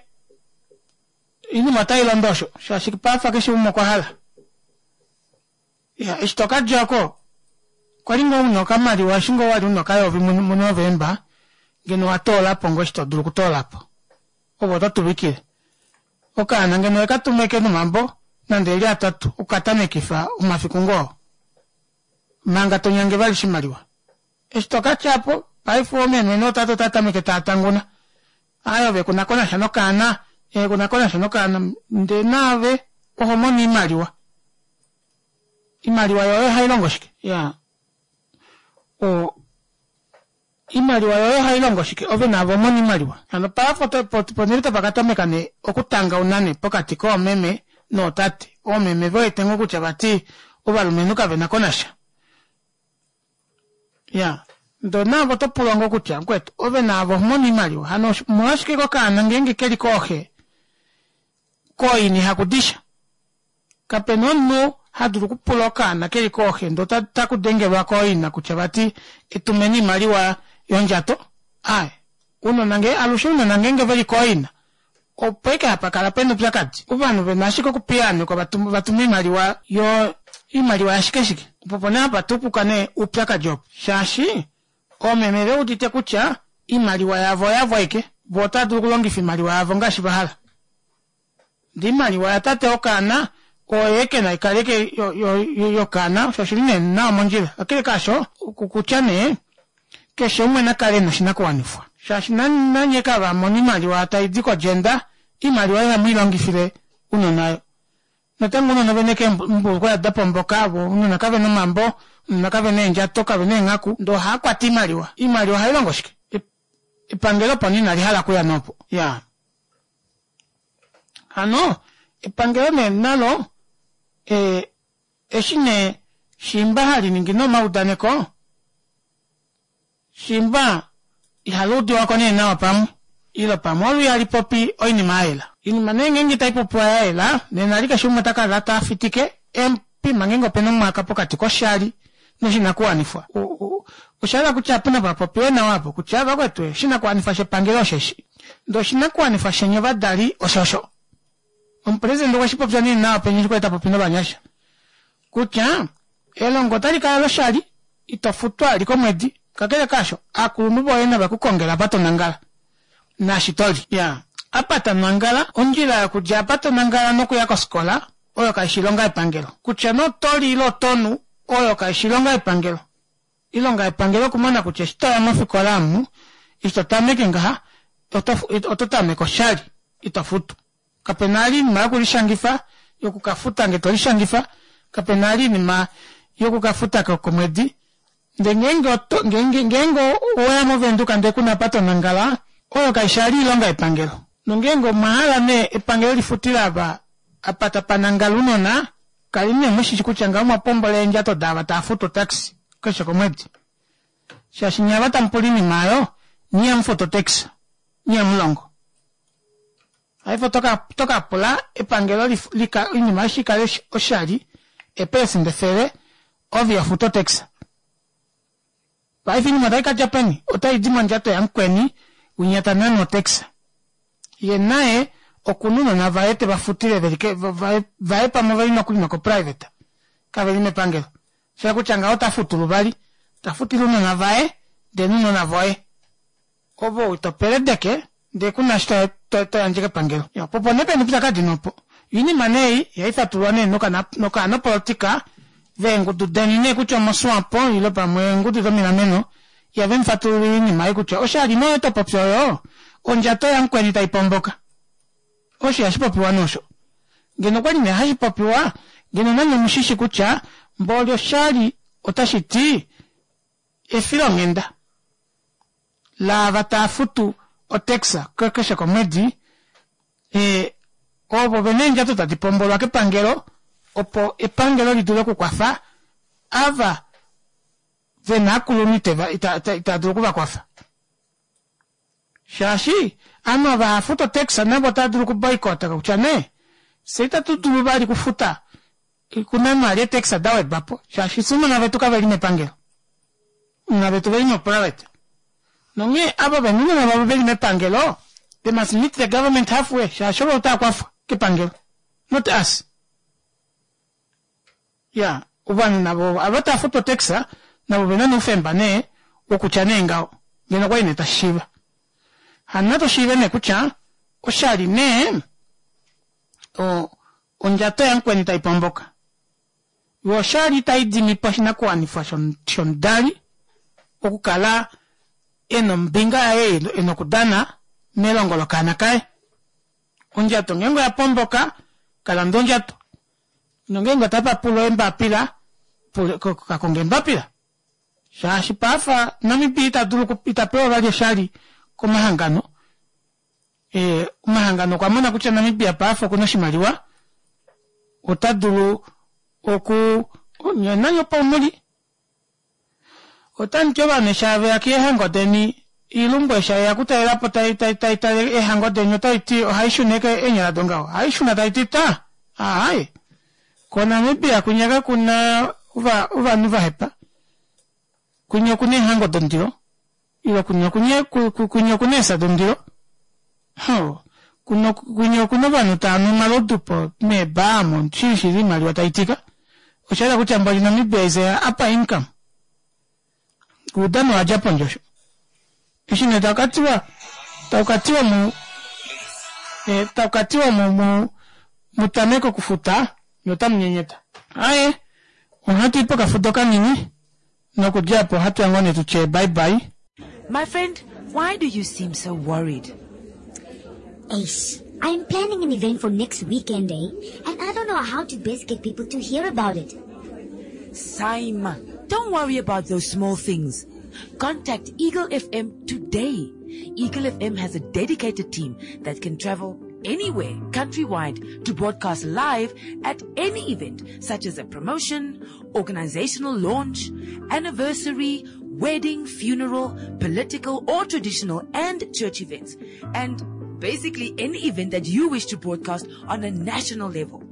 oinima otai londo osho, shaashi pafa keshe umwe okwa hala. Ya, eshi to ka dja ko, kwa li ngoo una okamaliwa, eshi ngoo wa li una okayovi muNovemba, ngeno wa toola po ngoo eshi to dulu okutoola po. Ove oto tuvikile. Okaana ngeno owe ka tuma eke nomambo nande eli atatu okuka tamekifa omafiku ngoo manga to nyange vali oshimaliwa. Eshi to ka tya po, paife oomeme nootate otava tameke tava tanguna. Aaye ove ku na ko nasha nokaana, ee ku na ko nasha nokaana, ndee naave oho mono oimaliwa. Iimaliwa yoye ohayi longo shike? Ya. O, iimaliwa yoye ohayi longo shike? Ove naave omona iimaliwa. Hano paapo ponhele tapa ka tameka nee okutangauna nee pokati koomeme nootate. Oomeme ve wete ngoo kutya vati ovalumenhu kave na ko nasha. Ya. Ndoo naave oto pulwa ngoo kutya mukwetu ove naave oho mono iimaliwa. Hano omolwashike kokaana ngeenge ke li kooxe kooina ihaku di sha? Kape na omunhu ha dulu okupula okaana ke li kooxe ndee otaku dengelwa kooina kutya vati etumeni oimaliwa yondjato. Aaye, ounona ngee alushe ounona ngeenge ve li kooina opo ashike hapa kala pena oupyakadi. Ovanhu ve na ashike okupiyaanekwa va tume oimaliwa yo oimaliwa yashike shike. Opo opo nee hapa tukuka nee oupyakadi opo shaashi oomeme ve udite kutya oimaliwa yavo oyavo aike voo otava dulu okulongifa oimaliwa yavo ngaashi va hala. Ndee oimaliwa yatate wokaana oye ke na ikale ke yokaana osho oshili nee nawa mondjila. Kakele kaasho, okutya nee keshe umwe na kale e na oshinakuwanifwa shaashi nanye kava mona oimaliwa tai di kodjenda, oimaliwa ihamu i longifile ounona. Natango ounona ove na eembulukweya da pomboka, vo ounona kave na omambo, ounona kave na eendjato, kave na eenghaku, ndee ohaa kwata oimaliwa. Oimaliwa ohai longo shike? Epangelo opo nee inali hala okuya nee opo. Iyaa. Hano epangelo nee nalo e, eshi nee shiimba hali ningi nee omaudaneko, shiimba ihali udiwa ko nee nawa pamwe, ile pamwe olo ihali popi oinima ya yela. Oinima nee ngeenge itai popiwa ya yela, nena li keshe umwe ota kala ta fitike eempima ngeenge opena omwaka pokati koshali noshinakuwanifwa. Osha hala kutya apu napa popiwe nawa apo kutya vakwetu oshinakuwanifwa shepangelo osheshi, ndee oshinakuwanifwa sheni ovadali oshosho. Omupresidente okwe shi popya nee nawa penya eshi kwali ta popi novanyasha kutya elongo otali kala loshali, ito futwa li komwedi. Kakele kaasho, aakulunhu voye nave ku kongele apa to nangala naashi to li. Ya, apa ta nangala, ondjila yokudja apa to nangala nokuya kofikola oyo kai shi ilonga yepangelo. Kutya nee oto li ile oto nu, oyo kai shi ilonga yepangelo. Ilonga yepangelo okumona kutya eshi to ya mofikola amu, eshi to tameke ngaha, Oto oto tameke oshali ito futu. Kape na ali iinima yokulishangifa yokukafuta nge to lishangifa kape na ali iinima yokukafuta komwedi ndee ngeenge oto ngeenge ngeenge oweya movenduka ndee kuna apa to nangala oyo kaishi ali oilonga yepangelo nongeenge omwa hala nee epangelo lifutile ava apa tapa nangala ounona kali nee mushishi kutya ngaho omwa pombola eendjato daava tava futu otaxi keshe komwedi shaashi nye ava tamu pula oinima aayo nye ihamu futu otaxi nye ihamu longo paife oto ka pula epangelo oinima aishe ikale oshali eepelesenda efele ove iho futu otax paife oinima otai kadja peni otai di mondjato yamukweni winya ta nane otax ye naye okuna ounona vaye teva futile veli vaye pamwe oveli nokuli noko private kaveli mepangelo sha kutya ngaho ota futu luvali ta futile ounona vaye ndee nounona voye Ove ou to peledeke ndee ku na eshi to yandje kepangelo. Po opo nee pena oupyakadi nee opo. Oinima nee ei ihai fatululwa nee nokaanopolotika veengudu deni nee kutya omoSwapo ile pamwe eengudu domilameno ihave mu fatululile oinima ei kutya oshali nee oyo to popi oyo ondjato yamukweni tai pomboka. Osho ihashi popiwa nee osho. Ngeno okwali nee hashi popiwa ngeno nanye omushishi kutya mboli oshali otashi ti efilonghenda laava tava futu otax keshe komwedi, ovo ve na eendjato tadi pombolwa kepangelo opo epangelo li dule okukwafa ava ve na aakulunhu itava dulu okuvakwafa. Shaashi ovanhu ava hava futu otax navo otava dulu okuboycott kutya nee fye itatu dulu vali okufuta kuna vali eetax da wedwa po shaashi fye ounona vetu kave li mepangelo. Ounona vetu oveli moprivate. Nonghee ava vena ounona vavo veli mepangelo they must meet the government halfway shaashi ovo otava kwafwa kepangelo not us. Ya ovanhu navo ava tava futu otax navo ovena nee oufemba nee wokutya nee ngaho ngeno okwali nee tashi shiiva. Hano natu shiive nee kutya oshali nee ondjato yamukweni tai pomboka. Yo oshali itai dimi po oshinakuwanifwa shomudali okukala e na ombinga yaye e na okudana melongo lokaana kaye. Ondjato ngeenge oya pomboka, ka lande ondjato. Nongeenge otapa pulwa eembapila, ka konge eembapila. Shaashi paafa Namibia ita dulu ita pewa vali oshali komahangano Eh, omahangano okwa mona kutya Namibia paife okuna oshimaliwa, ota dulu oku nani opo muli. Otamu ti ovanhu eshi have ya keehango deni, iilumbu eshi hayi ya kutalela po tai tai tai tale eehango deni otai ti ohai shuna eke eenyala dongaho. Ohai shuna tai ti ta, aaye. KoNamibia kwinya kakuna ovanhu vahepa. Kwinya okuna eehango dondilo. Ile kwinya kwinya okuna eefya dondilo. Hoo. Kuno kwinya okuna ovanhu tava nu omalodu po meebaa omo shili shili oimaliwa tai tika. Osha yela kutya mboli Namibia is a upper income. Oudano owa dja pondje osho. Eshi nee taku ka tiwa taku ka tiwa mu eh, taku ka tiwa mu mu mu tameke okufuta nye otamu nyenyeta. Aye, ohatu i pokafudo kanini. Nokudja opo ohatu ya ngoo nee tu tye bye bye. My friend, why do you seem so worried? Eish, I'm planning an event for next weekend, eh? And I don't know how to best get people to hear about it. Saima, don't worry about those small things. Contact Eagle FM today. Eagle FM has a dedicated team that can travel anywhere countrywide to broadcast live at any event such as a promotion, organizational launch, anniversary, wedding, funeral, political or traditional and church events. And basically any event that you wish to broadcast on a national level.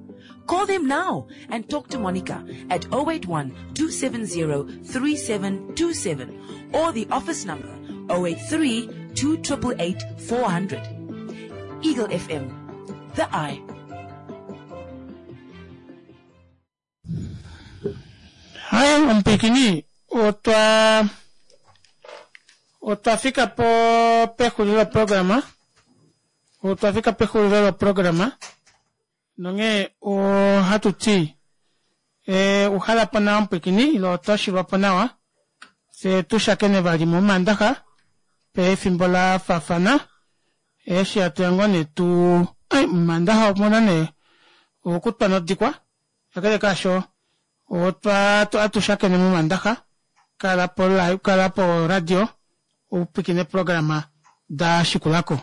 Call them now and talk to Monica at 081 270 3727 or the office number 083 2888 400. Eagle FM, the eye. Hai omupwiikini otwa otwa fika po pexulilo loprograma otwa fika pexulilo loprograma nonghee ohatu ti e, uhala po nawa omupwiikini ile otwa shilwa po nawa fye tu shakene vali momandaxa pefimbo la faafana. Eshi hatuya ngoo nee tu ai momandaxa omuna nee okutwa nodikwa kakele kaasho otwa atushakene momandaxa kala po kala po radio upwiikine eeprograma da shikulako.